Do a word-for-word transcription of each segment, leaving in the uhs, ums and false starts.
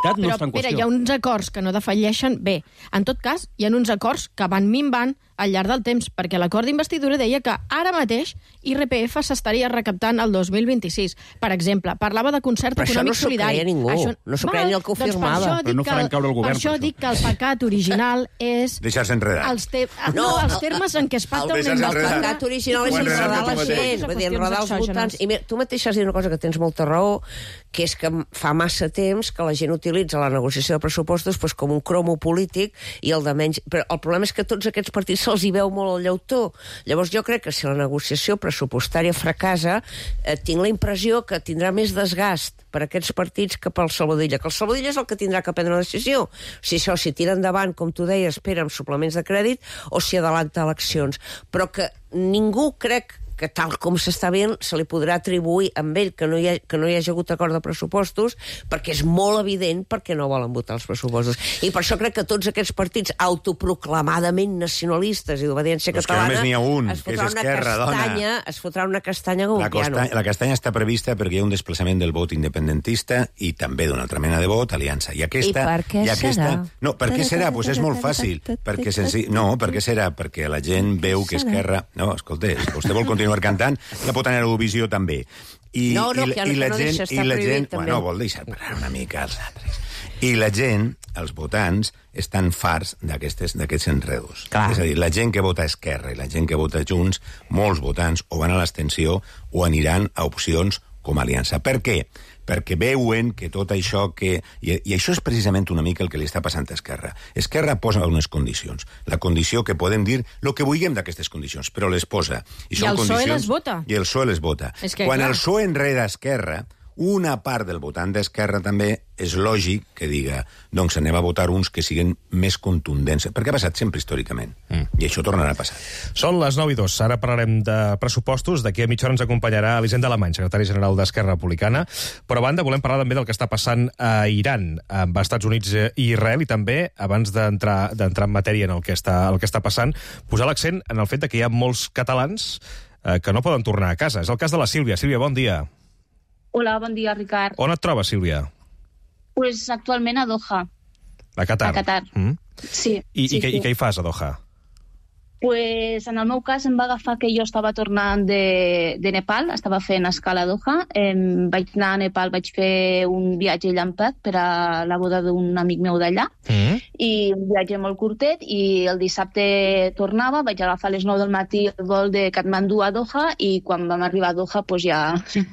legalitat no però, està en Pere, qüestió. hi ha uns acords que no defalleixen bé. En tot cas, hi ha uns acords que van minvant al llarg del temps, perquè l'acord d'investidura deia que ara mateix I R P F s'estaria recaptant el dos mil vint-i-sis. Per exemple, parlava de concert però econòmic això no solidari. s'ho creia ningú. Això... No s'ho creia ni el que ho doncs firmava. Per això Però dic no que faran el- caure el govern, Per això per això. dic que el pecat original és... Deixar-se enredar. Els, te... no, No, els el- termes en què es pacta el una deixar-se El enredar. pecat original és Ho enredar enredar tu la mateix. gent, vull dir, enredar els Qüestions votants. exògenes. I mira, tu mateix has dit una cosa que tens molta raó, que és que fa massa temps que la gent utilitza la negociació de pressupostos doncs, com un cromo polític i el de menys... Però el problema és que a tots aquests partits se'ls hi veu molt el llautó. Llavors jo crec que si la negociació pressupostària fracassa, eh, tinc la impressió que tindrà més desgast per a aquests partits que pel Salvadilla, que el Salvadilla és el que tindrà que prendre una decisió. Si això, si tira endavant, com tu deies, espera amb suplements de crèdit, o si adelanta eleccions. Però que ningú crec que tal com s'està veient se li podrà atribuir amb ell que no hi ha, que no hi hagi hagut acord de pressupostos, perquè és molt evident perquè no volen votar els pressupostos. I per això crec que tots aquests partits autoproclamadament nacionalistes i d'obediència Però és que catalana només n'hi ha un, es que és fotrà una Esquerra, dona. castanya, es fotrà una castanya com La, un piano. costa, la castanya està prevista perquè hi ha un desplaçament del vot independentista i també d'una altra mena de vot, aliança. I aquesta... I per què i aquesta, serà? No, per què serà? Doncs pues és molt fàcil. Perquè senzill, no, per què serà? Perquè la gent veu que Esquerra... No, escolta, si vostè vol continuar cantant, ja pot anar a Eurovisió també. I, No, no, i, que i la no gent, deixa, està i la prohibit, gent, també. bueno, vol deixar parar una mica els altres. I la gent, els votants, estan farts d'aquestes d'aquests enredos. Clar. És a dir, la gent que vota Esquerra i la gent que vota Junts, molts votants o van a l'abstenció o aniran a opcions com a aliança. Per què? Perquè veuen que tot això que... I, I això és precisament una mica el que li està passant a Esquerra. Esquerra posa unes condicions. La condició que podem dir el que vulguem d'aquestes condicions, però les posa. I són el P S O E condicions- les vota. I el P S O E les vota. És que, Quan clar. el P S O E enreda Esquerra, una part del votant d'Esquerra també és lògic que diga doncs anem a votar uns que siguin més contundents. Perquè ha passat sempre històricament. Mm. I això tornarà a passar. Són les nou i dos. Ara parlarem de pressupostos. D'aquí a mitja hora ens acompanyarà Elisenda Alemany, secretari general d'Esquerra Republicana. Però a banda, volem parlar també del que està passant a Iran, amb Estats Units i Israel, i també, abans d'entrar d'entrar en matèria en el que està, el que està passant, posar l'accent en el fet de que hi ha molts catalans eh, que no poden tornar a casa. És el cas de la Sílvia. Sílvia, bon dia. Hola, bon dia, Ricard. On et trobes, Sílvia? Pues actualment a Doha, A Qatar. a Qatar. Mm. Sí. I, sí, i, què, sí. I què hi fas a Doha? Pues en el meu cas em va agafar que jo estava tornant de, de Nepal, estava fent escala a Doha. Em vaig anar a Nepal, vaig fer un viatge llampat per a la boda d'un amic meu d'allà, Mm. i un viatge molt curtet, i el dissabte tornava, vaig agafar a les nou del matí el vol de Katmandú a Doha, i quan vam arribar a Doha pues ja, ja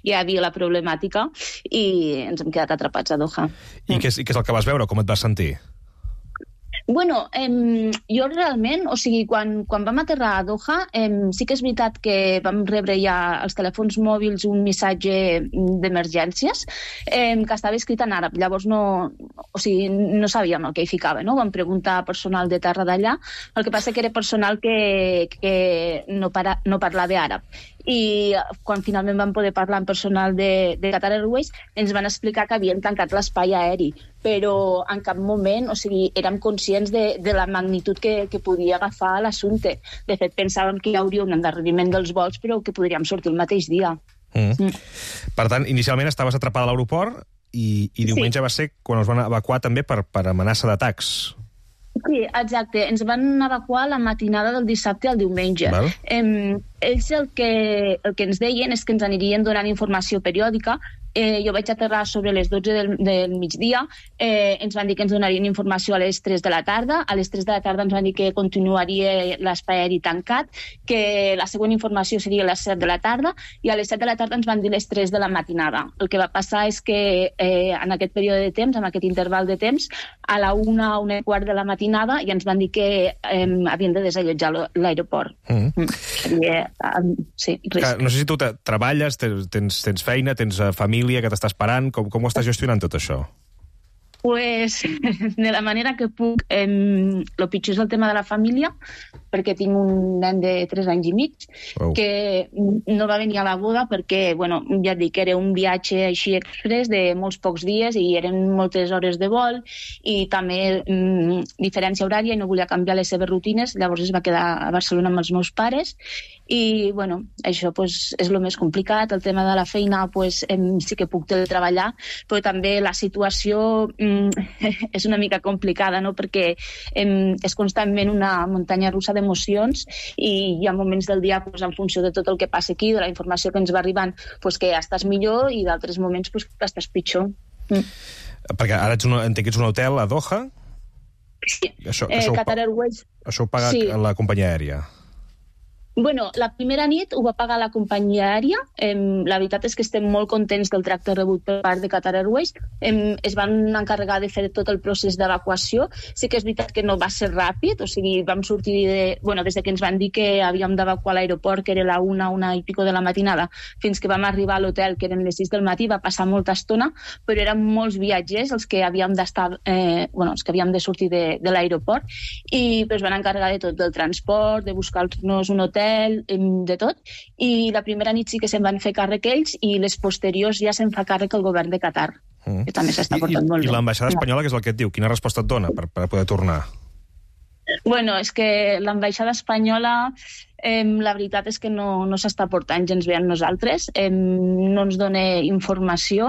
hi havia la problemàtica i ens hem quedat atrapats a Doha. I què, és, I què és el que vas veure? Com et vas sentir? Bueno, em, jo realment, o sigui, quan, quan vam aterrar a Doha, em, sí que és veritat que vam rebre ja als telèfons mòbils un missatge d'emergències em, que estava escrit en àrab. Llavors no, o sigui, no sabíem el que hi ficava, no? Vam preguntar a personal de terra d'allà, el que passa que era personal que, que no, para, no parlava àrab. I quan finalment vam poder parlar amb personal de, de Qatar Airways, ens van explicar que havien tancat l'espai aeri, però en cap moment, o sigui, érem conscients de, de la magnitud que, que podia agafar l'assumpte. De fet, pensàvem que hi hauria un endarreriment dels vols, però que podríem sortir el mateix dia. Mm. Mm. Per tant, inicialment estaves atrapada a l'aeroport i, i diumenge Sí. va ser quan us van evacuar també per, per amenaça d'atacs. Sí, exacte. Ens van evacuar la matinada del dissabte al diumenge. Val. Em, ells el que, el que ens deien és que ens anirien donant informació periòdica. Eh, jo vaig aterrar sobre les dotze del, del migdia, eh, ens van dir que ens donarien informació a les tres de la tarda, a les tres de la tarda ens van dir que continuaria l'espai aeri tancat, que la següent informació seria a les set de la tarda, i a les set de la tarda ens van dir les tres de la matinada. El que va passar és que eh, en aquest període de temps, en aquest interval de temps, a la una, una i quart de la matinada, ja ens van dir que eh, havien de desallotjar l'aeroport. Mm. Mm. Seria, um, sí, Que, risc. no sé si tu te, treballes, tens, tens, tens feina, tens uh, família que t'està esperant, com, com ho estàs gestionant tot això? Pues, de la manera que puc, eh, el pitjor és el tema de la família, perquè tinc un nen de tres anys i mig, Wow. que no va venir a la boda perquè, bueno, ja et dic, era un viatge així express de molts pocs dies i eren moltes hores de vol i també mm, diferència horària i no volia canviar les seves rutines, llavors es va quedar a Barcelona amb els meus pares I, bueno, això pues, és el més complicat. El tema de la feina pues, em, sí que puc teletreballar, però també la situació mm, és una mica complicada, no? Perquè em, és constantment una muntanya russa d'emocions i hi ha moments del dia, pues, en funció de tot el que passa aquí, de la informació que ens va arribant, pues, que ja estàs millor i d'altres moments pues, que estàs pitjor. Mm. Perquè ara ets un, entenc que ets un hotel a Doha? Sí. Això, eh, això, Qatar Airways... Això ho paga sí. la companyia aèria? Bueno, la primera nit ho va pagar la companyia aèria. Eh, la veritat és que estem molt contents del tracte rebut per part de Qatar Airways. Eh, es van encarregar de fer tot el procés d'evacuació. Sí que és veritat que no va ser ràpid, o sigui, vam sortir de, bueno, des de que ens van dir que havíem d'evacuar l'aeroport, que era la una, una i pico de la matinada, fins que vam arribar a l'hotel, que eren les sis del matí, va passar molta estona, però eren molts viatgers els que havíem d'estar, eh, bueno, els que havíem de sortir de, de l'aeroport, i pues, van encarregar de tot, del transport, de buscar-nos un hotel, de tot, i la primera nit sí que se'n van fer càrrec ells i les posteriors ja se'n fa càrrec el govern de Qatar, mm. que també s'està portant I, molt I, bé. I l'ambaixada espanyola, què és el que et diu? Quina resposta et dona per, per poder tornar? Bueno, és que l'ambaixada espanyola, eh, la veritat és que no, no s'està portant gens bé amb nosaltres, eh, no ens dona informació,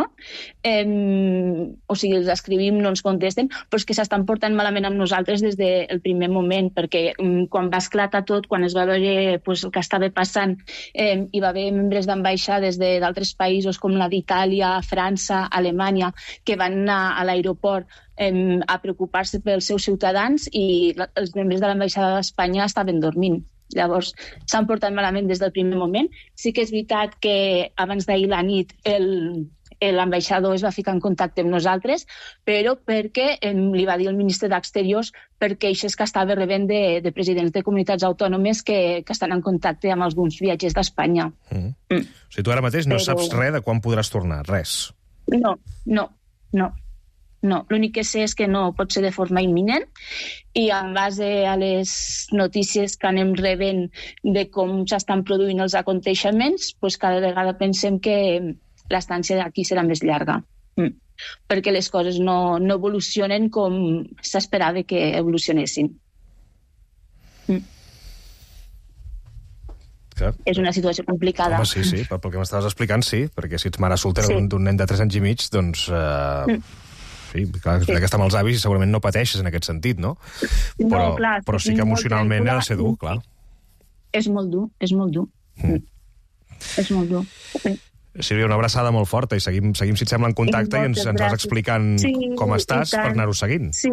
eh, o sigui, els escrivim, no ens contesten, però és que s'estan portant malament amb nosaltres des del primer moment, perquè eh, quan va esclatar tot, quan es va veure pues, el que estava passant, eh, hi va haver membres d'ambaixades d'altres països com la d'Itàlia, França, Alemanya, que van anar a l'aeroport eh, a preocupar-se pels seus ciutadans i els membres de l'ambaixada d'Espanya estaven dormint. Llavors, s'han portat malament des del primer moment. Sí que és veritat que abans d'ahir la nit el, l'ambaixador es va ficar en contacte amb nosaltres, però perquè eh, li va dir el ministre d'Exteriors per queixes que estava rebent de, de presidents de comunitats autònomes que, que estan en contacte amb alguns viatgers d'Espanya. Mm. Mm. O sigui, tu ara mateix no però... saps res de quan podràs tornar, res? No, no, no. No, l'únic que sé és que no pot ser de forma imminent i en base a les notícies que anem rebent de com s'estan produint els aconteixements, doncs cada vegada pensem que l'estància d'aquí serà més llarga. Mm. Perquè les coses no, no evolucionen com s'esperava que evolucionessin. Mm. Clar. És una situació complicada. Home, sí, sí, pel que m'estaves explicant, sí, perquè si ets mare soltera sí. d'un nen de tres anys i mig, doncs... Eh... Mm. Sí, clar, sí. que està amb els avis i segurament no pateixes en aquest sentit, no? Però, no, clar, però sí que emocionalment ha de ser dur, clar. És molt dur, és molt dur. Mm. És molt dur. Sí. Sílvia, una abraçada molt forta i seguim, seguim si et sembla, en contacte i, i ens, ens vas explicant sí, com estàs per anar-ho seguint. Sí,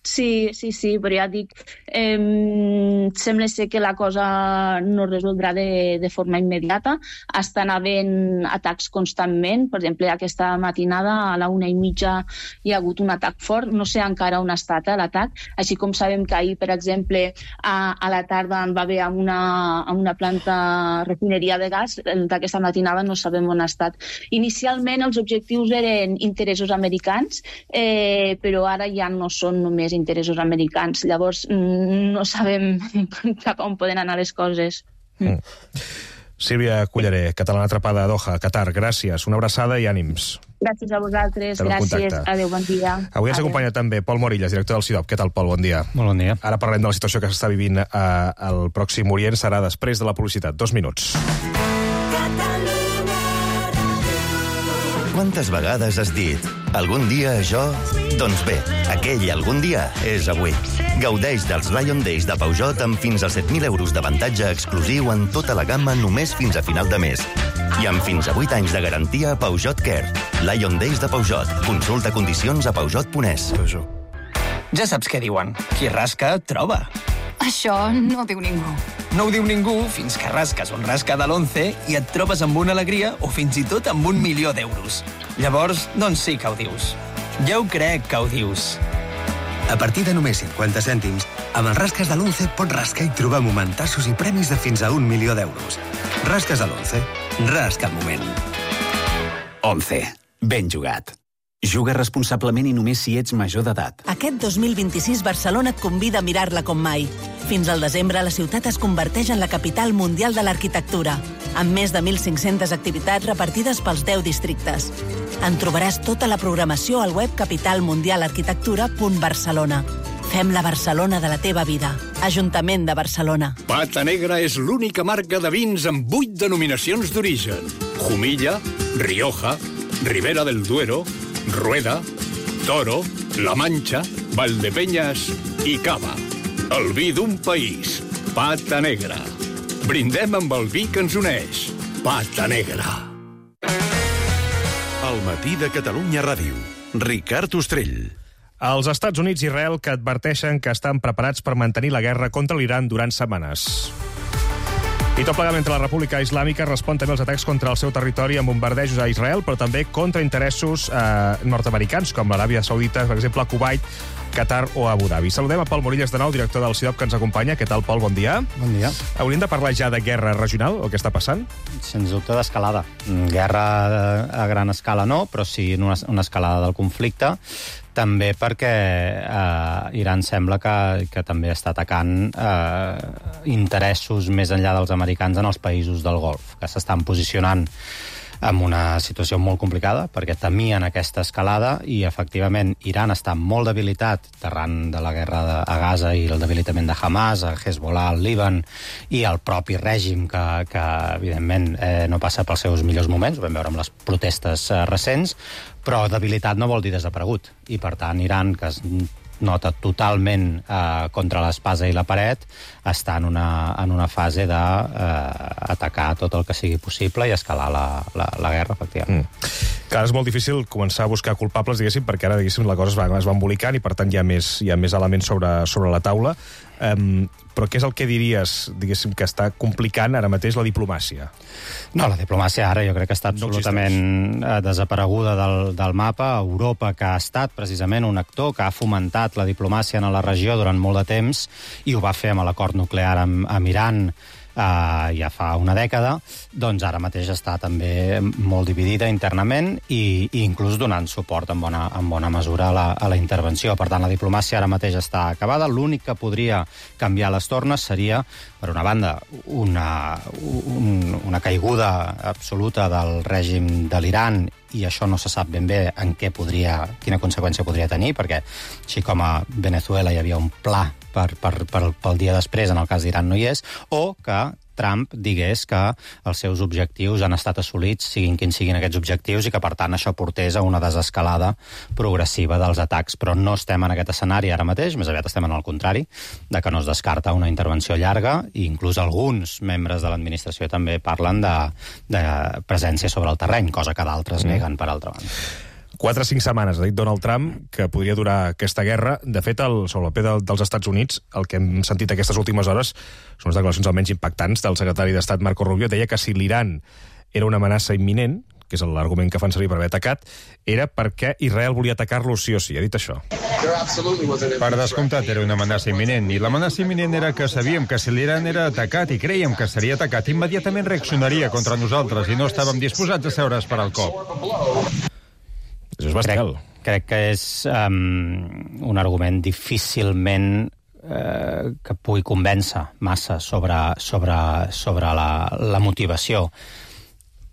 sí, sí, sí, però ja dic, eh, sembla ser que la cosa no resoldrà de, de forma immediata. Estan havent atacs constantment. Per exemple, aquesta matinada a la una i mitja hi ha hagut un atac fort. No sé encara on ha estat eh, l'atac. Així com sabem que ahir, per exemple, a, a la tarda en va haver amb una, amb una planta refineria de gas. D'aquesta matinada no sabem on ha estat. Inicialment els objectius eren interessos americans, eh, però ara ja no són només interessos americans. Llavors, no sabem cap on poden anar les coses. Mm. Sílvia Culleré, catalana atrapada a Doha, Qatar, gràcies. Una abraçada i ànims. Gràcies a vosaltres, gràcies. Adéu, bon dia. Avui ens acompanya també Pol Morillas, director del C I D O P. Què tal, Pol? Bon dia. Molt bon dia. Ara parlem de la situació que s'està vivint al Pròxim Orient. Serà després de la publicitat. Dos minuts. Quantes vegades has dit algun dia això? Doncs bé, aquell algun dia és avui. Gaudeix dels Lion Days de Peugeot amb fins a set mil euros d'avantatge exclusiu en tota la gamma només fins a final de mes. I amb fins a vuit anys de garantia a Peugeot Care. Lion Days de Peugeot. Consulta condicions a peugeot punt es. Ja saps què diuen. Qui rasca, troba. Això no ho diu ningú. No ho diu ningú fins que rasques on rasca de l'once i et trobes amb una alegria o fins i tot amb un milió d'euros. Llavors, doncs sí que ho dius. Ja ho crec que ho dius. A partir de només cinquanta cèntims, amb els rasques de l'once pots rascar i trobar momentassos i premis de fins a un milió d'euros. Rasques de l'once. Rasca el moment. once. Ben jugat. Juga responsablement i només si ets major d'edat. Aquest dos mil vint-i-sis Barcelona et convida a mirar-la com mai. Fins al desembre la ciutat es converteix en la capital mundial de l'arquitectura, amb més de mil cinc-centes activitats repartides pels deu districtes. En trobaràs tota la programació al web capital mundial arquitectura punt barcelona. Fem la Barcelona de la teva vida. Ajuntament de Barcelona. Pata Negra és l'única marca de vins amb vuit denominacions d'origen. Jumilla, Rioja, Ribera del Duero, Rueda, Toro, La Mancha, Valdepeñas i Cava. El vi d'un país. Pata Negra. Brindem amb el vi que ens uneix. Pata Negra. El matí de Catalunya Ràdio. Ricard Ostrell. Els Estats Units i Israel que adverteixen que estan preparats per mantenir la guerra contra l'Iran durant setmanes. I tot plegat mentre la República Islàmica respon també als atacs contra el seu territori amb bombardejos a Israel, però també contra interessos eh, nord-americans, com l'Aràbia Saudita, per exemple, Kuwait, Qatar o Abu Dhabi. Saludem a Pol Morillas de nou, director del C I D O P, que ens acompanya. Què tal, Pol? Bon dia. Bon dia. Hauríem de parlar ja de guerra regional, el que està passant? Sens dubte d'escalada. Guerra a gran escala no, però sí una, una escalada del conflicte. També perquè eh, Iran sembla que, que també està atacant eh, interessos més enllà dels americans en els països del Golf, que s'estan posicionant en una situació molt complicada, perquè temien aquesta escalada i, efectivament, Iran està molt debilitat arran de la guerra de, a Gaza i el debilitament de Hamas, a Hezbollah, al Líban, i el propi règim que, que evidentment, eh, no passa pels seus millors moments, ho vam veure amb les protestes eh, recents, però debilitat no vol dir desaparegut. I, per tant, Iran, que es nota totalment eh, contra l'espasa i la paret, està en una, en una fase d'atacar eh, tot el que sigui possible i escalar la, la, la guerra, efectivament. Mm. Clar, és molt difícil començar a buscar culpables, diguéssim, perquè ara, diguéssim, la cosa es va, es va embolicant i, per tant, hi ha més, hi ha més elements sobre, sobre la taula. Um, però què és el que diries, diguéssim, que està complicant ara mateix la diplomàcia? No, la diplomàcia ara jo crec que està absolutament no desapareguda del, del mapa. Europa, que ha estat precisament un actor que ha fomentat la diplomàcia en la regió durant molt de temps, i ho va fer amb l'acord nuclear amb, amb Iran, Uh, ja fa una dècada, doncs ara mateix està també molt dividida internament i, i inclús donant suport en bona, en bona mesura a la, a la intervenció. Per tant, la diplomàcia ara mateix està acabada. L'únic que podria canviar les tornes seria, per una banda, una, un, una caiguda absoluta del règim de l'Iran, i això no se sap ben bé en què podria, quina conseqüència podria tenir, perquè així com a Venezuela hi havia un pla per, per, per, pel dia després, en el cas d'Iran no hi és, o que Trump digués que els seus objectius han estat assolits, siguin quins siguin aquests objectius, i que, per tant, això portés a una desescalada progressiva dels atacs. Però no estem en aquest escenari ara mateix, més aviat estem en el contrari, de que no es descarta una intervenció llarga, i inclús alguns membres de l'administració també parlen de, de presència sobre el terreny, cosa que d'altres mm. neguen, per altra banda. Quatre o cinc setmanes, ha dit Donald Trump, que podria durar aquesta guerra. De fet, el, sobre el peu de, dels Estats Units, el que hem sentit aquestes últimes hores són les declaracions almenys impactants del secretari d'Estat Marco Rubio. Deia que si l'Iran era una amenaça imminent, que és l'argument que fan servir per haver atacat, era perquè Israel volia atacar-lo sí o sí. Ha dit això. Per descomptat, era una amenaça imminent. I l'amenaça imminent era que sabíem que si l'Iran era atacat i creiem que seria atacat, immediatament reaccionaria contra nosaltres i no estàvem disposats a seure a esperar el cop. Això és bestial. Crec, crec que és um, un argument difícilment eh, que pugui convèncer massa sobre, sobre, sobre la, la motivació.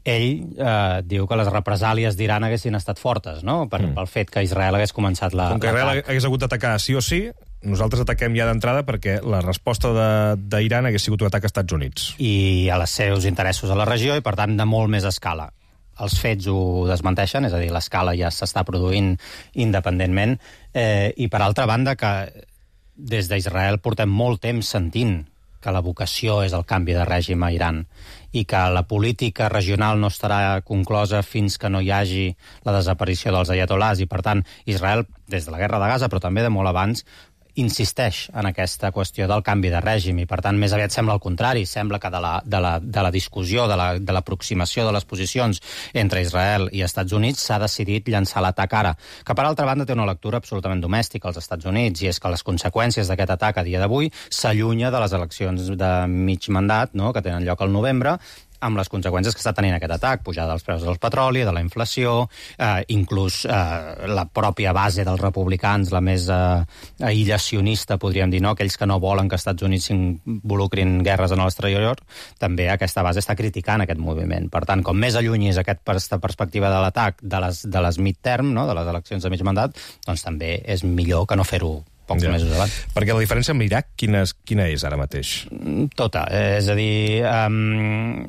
Ell eh, diu que les represàlies d'Iran haguessin estat fortes, no? Per, mm. pel fet que Israel hagués començat la... Com que Israel hagués hagut d'atacar sí o sí, nosaltres ataquem ja d'entrada perquè la resposta d'Iran hagués sigut un atac als Estats Units. I a les seus interessos a la regió, i per tant de molt més escala. Els fets ho desmenteixen, és a dir, l'escala ja s'està produint independentment, eh, i per altra banda que des d'Israel portem molt temps sentint que la vocació és el canvi de règim a Iran i que la política regional no estarà conclosa fins que no hi hagi la desaparició dels ayatolars, i per tant Israel, des de la guerra de Gaza, però també de molt abans, insisteix en aquesta qüestió del canvi de règim, i per tant més aviat sembla el contrari, sembla que de la, de la, de la discussió, de la, de l'aproximació de les posicions entre Israel i Estats Units s'ha decidit llançar l'atac ara, que per altra banda té una lectura absolutament domèstica als Estats Units, i és que les conseqüències d'aquest atac a dia d'avui s'allunya de les eleccions de mig mandat, no?, que tenen lloc al novembre, amb les conseqüències que està tenint aquest atac, pujada dels preus del petroli, de la inflació, eh, inclús eh, la pròpia base dels republicans, la més eh, aïllacionista, podríem dir, no? Aquells que no volen que els Estats Units s'involucrin guerres en l'exterior, també aquesta base està criticant aquest moviment. Per tant, com més allunyis aquesta perspectiva de l'atac de les, de les midterm, no? De les eleccions de mig mandat, doncs també és millor que no fer-ho pocs Ja. mesos abans. Perquè la diferència amb l'Iraq, quina, és- quina és ara mateix? Tota. És a dir, um,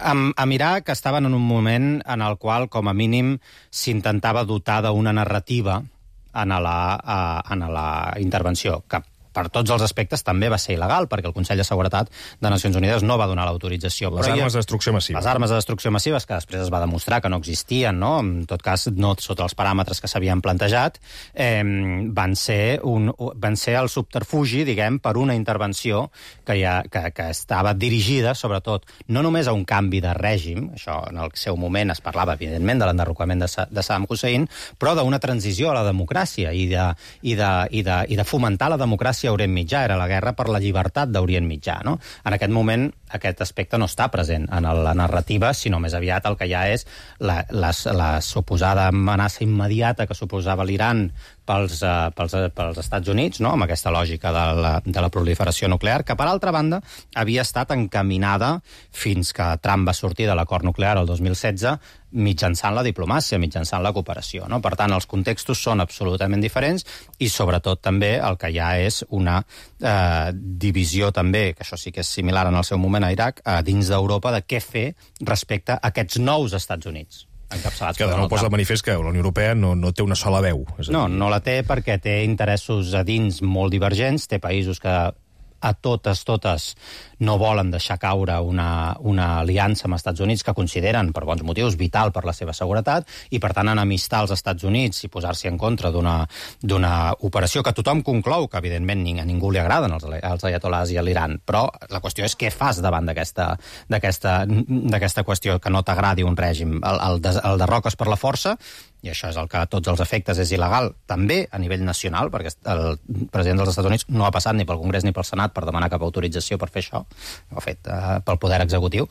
amb, amb Iraq estaven en un moment en el qual, com a mínim, s'intentava dotar d'una narrativa en la, uh, en la intervenció, que per tots els aspectes també va ser il·legal, perquè el Consell de Seguretat de Nacions Unides no va donar l'autorització. Les Però armes ja, de destrucció massiva. Les armes de destrucció massives, que després es va demostrar que no existien, no? En tot cas, no sota els paràmetres que s'havien plantejat, eh, van, ser un, van ser el subterfugi, diguem, per una intervenció que, ja, que, que estava dirigida, sobretot, no només a un canvi de règim, això en el seu moment es parlava, evidentment, de l'enderrocament de, Sa de Saddam Hussein, però d'una transició a la democràcia i de, i de, i de, i de fomentar la democràcia a Orient Mitjà. Era la guerra per la llibertat d'Orient Mitjà, no? En aquest moment, aquest aspecte no està present en la narrativa, sinó més aviat el que ja és la, la, la suposada amenaça immediata que suposava l'Iran pels, uh, pels, pels Estats Units, no? Amb aquesta lògica de la, de la proliferació nuclear, que, per altra banda, havia estat encaminada fins que Trump va sortir de l'acord nuclear el dos mil setze mitjançant la diplomàcia, mitjançant la cooperació, no? Per tant, els contextos són absolutament diferents i, sobretot, també el que hi ha és una eh, divisió també, que això sí que és similar en el seu moment a Iraq, eh, dins d'Europa, de què fer respecte a aquests nous Estats Units. Que de nou posa de manifest que la Unió Europea no, no té una sola veu. És a dir... No, no la té perquè té interessos a dins molt divergents, té països que a totes, totes no volen deixar caure una, una aliança amb els Estats Units que consideren, per bons motius, vital per la seva seguretat, i per tant enemistar els Estats Units i posar-s'hi en contra d'una operació que tothom conclou que evidentment a ningú li agraden els, els ayatolás i l'Iran, però la qüestió és què fas davant d'aquesta qüestió que no t'agradi un règim. El, el, de, el derroques per la força, i això és el que a tots els efectes és il·legal, també a nivell nacional, perquè el president dels Estats Units no ha passat ni pel Congrés ni pel Senat per demanar cap autorització per fer això, ho ha fet uh, pel poder executiu,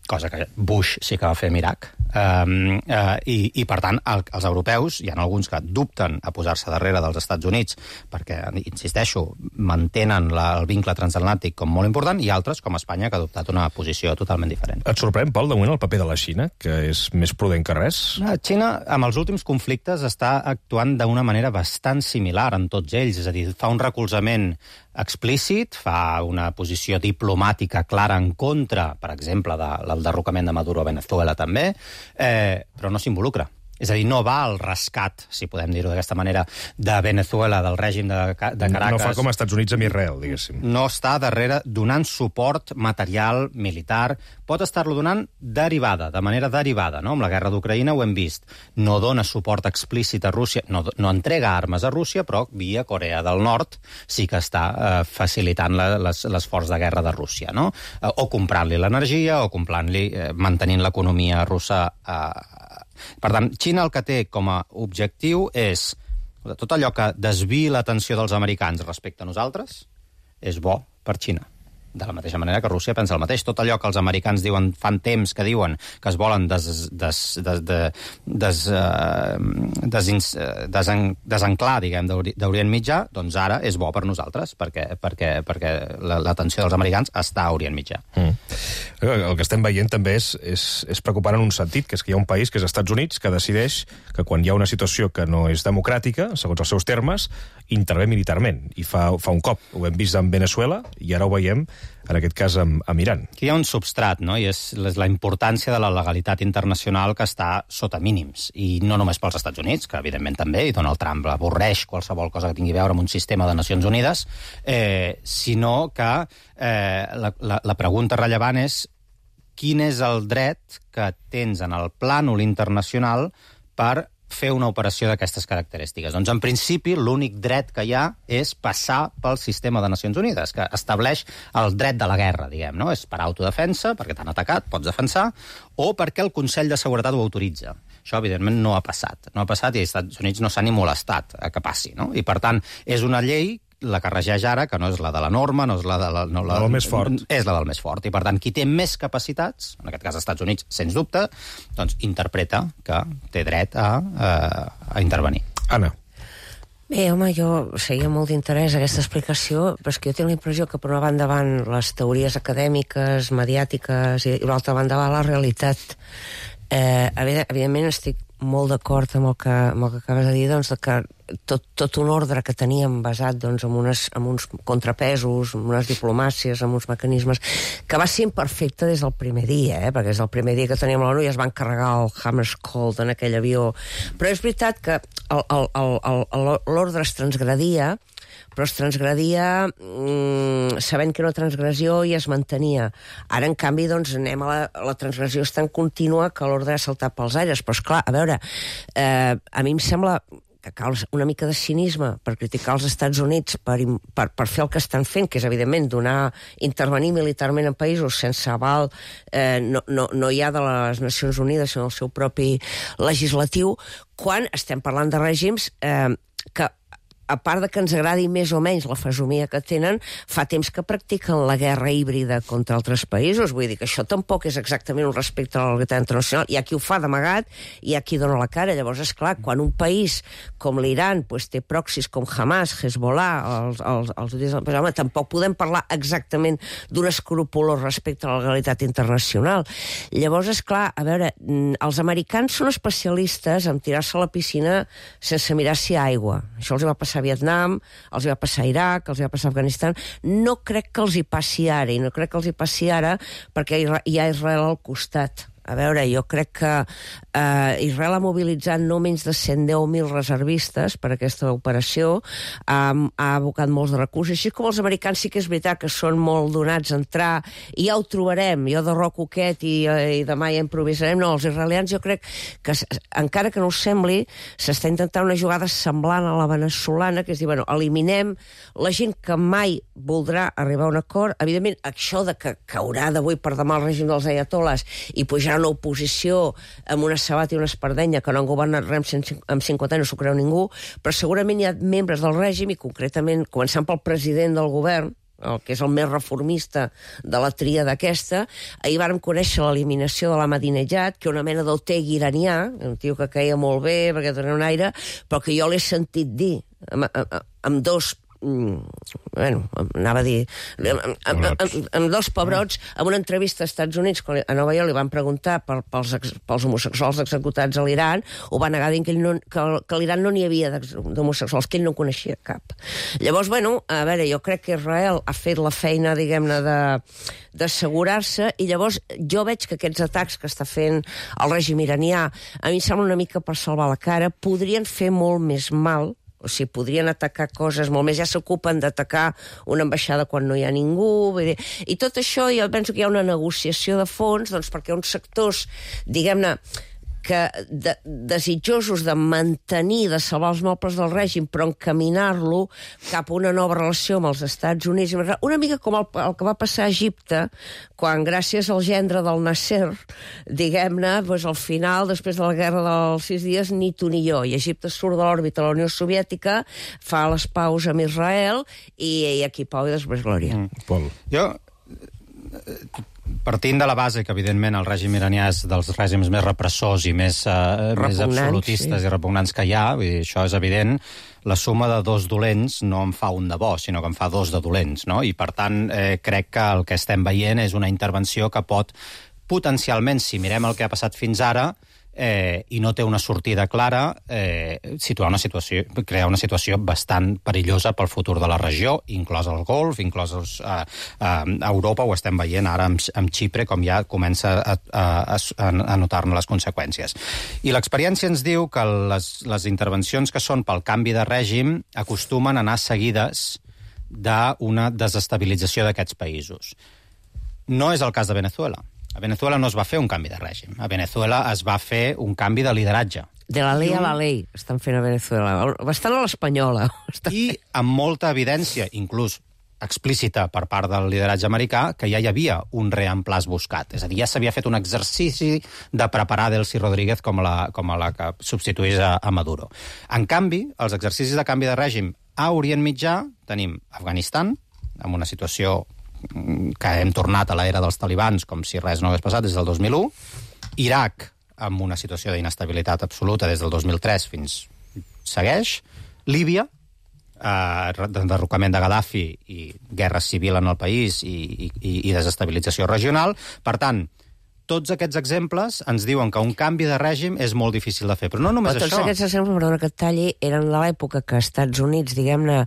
cosa que Bush sí que va fer amb Iraq. Um, uh, i, I, per tant, el, els europeus, hi ha alguns que dubten a posar-se darrere dels Estats Units perquè, insisteixo, mantenen la, el vincle transatlàntic com molt important, i altres, com Espanya, que ha adoptat una posició totalment diferent. Et sorprèn, Pol, de moment el paper de la Xina, que és més prudent que res? La Xina, amb els últims conflictes, està actuant d'una manera bastant similar en tots ells, és a dir, fa un recolzament explícit, fa una posició diplomàtica clara en contra, per exemple, de, del derrocament de Maduro a Venezuela també, eh, però no s'involucra. És a dir, no va al rescat, si podem dir-ho d'aquesta manera, de Venezuela, del règim de, de Caracas. No fa com als Estats Units amb Israel, diguéssim. No està darrere donant suport material, militar. Pot estar-lo donant derivada, de manera derivada, no? Amb la guerra d'Ucraïna ho hem vist. No dona suport explícit a Rússia, no, no entrega armes a Rússia, però via Corea del Nord sí que està eh, facilitant la, les, l'esforç de guerra de Rússia, no? Eh, o comprant-li l'energia, o comprant-li, eh, mantenint l'economia russa eh, per tant, Xina el que té com a objectiu és tot allò que desviï l'atenció dels americans respecte a nosaltres és bo per Xina. De la mateixa manera que Rússia pensa el mateix. Tot allò que els americans diuen, fan temps que diuen que es volen des, des, des, des, des, des, des, desenclar, diguem, d'Orient Mitjà, doncs ara és bo per nosaltres, perquè, perquè, perquè l'atenció dels americans està a Orient Mitjà. Mm. El que estem veient també és, és, és preocupant en un sentit, que és que hi ha un país, que és els Estats Units, que decideix que quan hi ha una situació que no és democràtica, segons els seus termes, intervé militarment. I fa, fa un cop. Ho hem vist amb Venezuela i ara ho veiem en aquest cas amb, amb Iran. Aquí hi ha un substrat, no? I és la importància de la legalitat internacional que està sota mínims. I no només pels Estats Units, que evidentment també, i Donald Trump avorreix qualsevol cosa que tingui a veure amb un sistema de Nacions Unides, eh, sinó que eh, la, la, la pregunta rellevant és quin és el dret que tens en el plànol internacional per fer una operació d'aquestes característiques. Doncs, en principi, l'únic dret que hi ha és passar pel sistema de Nacions Unides, que estableix el dret de la guerra, diguem, no? És per autodefensa, perquè t'han atacat, pots defensar, o perquè el Consell de Seguretat ho autoritza. Això, evidentment, no ha passat. No ha passat i els Estats Units no s'ha ni molestat a que passi, no? I, per tant, és una llei la que regeix ara, que no és la de la norma, no és la de la... No, la, la del més fort. És la del més fort. I, per tant, qui té més capacitats, en aquest cas els Estats Units, sens dubte, doncs interpreta que té dret a, a, a intervenir. Anna. Bé, home, jo seguia molt d'interès aquesta explicació, però és que jo tinc la impressió que per una banda van les teories acadèmiques, mediàtiques, i per l'altra banda va la realitat. Eh, evidentment estic molt d'acord amb el que, amb el que acabes de dir, doncs, que tot, tot un ordre que teníem basat doncs, en, unes, en uns contrapesos, en unes diplomàcies, en uns mecanismes, que va ser imperfecte des del primer dia, eh? Perquè des del primer dia que teníem l'ONU ja es van carregar el Hammarskjöld en aquell avió. Però és veritat que l'ordre es transgredia, però es transgredia mmm, sabent que era una transgressió i es mantenia. Ara, en canvi, doncs, anem a la, la transgressió és tan contínua que l'ordre ha saltat pels aires. Però, esclar, a veure, eh, a mi em sembla que cal una mica de cinisme per criticar els Estats Units per, per, per fer el que estan fent, que és, evidentment, donar, intervenir militarment en països sense aval, eh, no, no, no hi ha de les Nacions Unides, sinó el seu propi legislatiu, quan estem parlant de règims eh, que, a part de que ens agradi més o menys la fesomia que tenen, fa temps que practiquen la guerra híbrida contra altres països. Vull dir que això tampoc és exactament un respecte a la legalitat internacional. Hi ha qui ho fa d'amagat i hi ha qui dona la cara. Llavors, és clar, quan un país com l'Iran pues, té proxis com Hamas, Hezbollah, els, els, els, els, home, tampoc podem parlar exactament d'un escrupolós respecte a la legalitat internacional. Llavors, és clar, a veure, els americans són especialistes en tirar-se a la piscina sense mirar si hi ha aigua. Això els va passar a Vietnam, els va passar a Iraq, els va passar a Afganistan. No crec que els hi passi ara, i no crec que els hi passi ara perquè hi ha Israel al costat. A veure, jo crec que eh, Israel ha mobilitzat no menys de cent deu mil reservistes per aquesta operació, ha, ha abocat molts de recursos, així com els americans sí que és veritat que són molt donats a entrar, i ja ho trobarem, jo de roc coquet i, i demà ja improvisarem. No, els israelians jo crec que, encara que no us sembli, s'està intentant una jugada semblant a la veneçolana, que és dir, bueno, eliminem la gent que mai voldrà arribar a un acord. Evidentment, això de que caurà d'avui per demà el règim dels ayatoles i pujar una oposició amb una sabata i una espardenya que no han governat res en cinquanta anys, no s'ho creu ningú, però segurament hi ha membres del règim, i concretament, començant pel president del govern, el que és el més reformista de la tria d'aquesta. Ahir vàrem conèixer l'eliminació de l'Ahmadinejad, que una mena d'Otegi iranià, un tio que caia molt bé perquè tenia un aire, però que jo l'he sentit dir amb, amb, amb dos bueno, anava a dir amb, amb, amb, amb dos pebrots en una entrevista als Estats Units a Nova York li van preguntar per, pels, pels homosexuals executats a l'Iran, ho va negar dient que, no, que, que a l'Iran no n'hi havia d'homosexuals, que ell no coneixia cap. Llavors, bueno, a veure, jo crec que Israel ha fet la feina, diguem-ne, de d'assegurar-se, i llavors jo veig que aquests atacs que està fent el règim iranià, a mi em sembla una mica per salvar la cara, podrien fer molt més mal. O sigui, podrien atacar coses molt més. Ja s'ocupen d'atacar una ambaixada quan no hi ha ningú. Vull dir. I tot això, jo penso que hi ha una negociació de fons, doncs, perquè uns sectors, diguem-ne, que de, desitjosos de mantenir, de salvar els mobles del règim, però encaminar-lo cap a una nova relació amb els Estats Units, una mica com el, el que va passar a Egipte, quan gràcies al gendre del Nasser, diguem-ne, doncs al final, després de la guerra dels sis dies, ni tu ni jo, i Egipte surt de l'òrbita de la Unió Soviètica, fa les paus amb Israel, i, i aquí pau i després glòria. Mm. Pol. Jo... Partint de la base que, evidentment, el règim iranià és dels règims més repressors i més, uh, més absolutistes sí. i repugnants que hi ha, vull dir, això és evident, la suma de dos dolents no en fa un de bo, sinó que en fa dos de dolents, no? I, per tant, eh, crec que el que estem veient és una intervenció que pot, potencialment, si mirem el que ha passat fins ara, eh, i no té una sortida clara, eh, situar una situació, crear una situació bastant perillosa pel futur de la regió, inclòs el Golf, inclòs els, eh, eh, Europa, ho estem veient ara amb, amb Xipre, com ja comença a, a, a, a notar-ne les conseqüències. I l'experiència ens diu que les, les intervencions que són pel canvi de règim acostumen a anar seguides d'una desestabilització d'aquests països. No és el cas de Venezuela. A Venezuela no es va fer un canvi de règim. A Venezuela es va fer un canvi de lideratge. De la ley a la ley estan fent a Venezuela. Bastant a l'espanyola. I amb molta evidència, inclús explícita per part del lideratge americà, que ja hi havia un reemplaç buscat. És a dir, ja s'havia fet un exercici de preparar Delcy Rodríguez com a la, com a la que substituís a, a Maduro. En canvi, els exercicis de canvi de règim a Orient Mitjà tenim Afganistan, amb una situació que hem tornat a l'era dels talibans com si res no hagués passat des del dos mil u, Iraq amb una situació d'inestabilitat absoluta des del dos mil tres fins segueix, Líbia, eh, derrocament de Gaddafi i guerra civil en el país i, i, i desestabilització regional. Per tant, tots aquests exemples ens diuen que un canvi de règim és molt difícil de fer. Però no només Però tots això. aquests exemples, perdona que et talli, eren de l'època que als Estats Units, diguem-ne,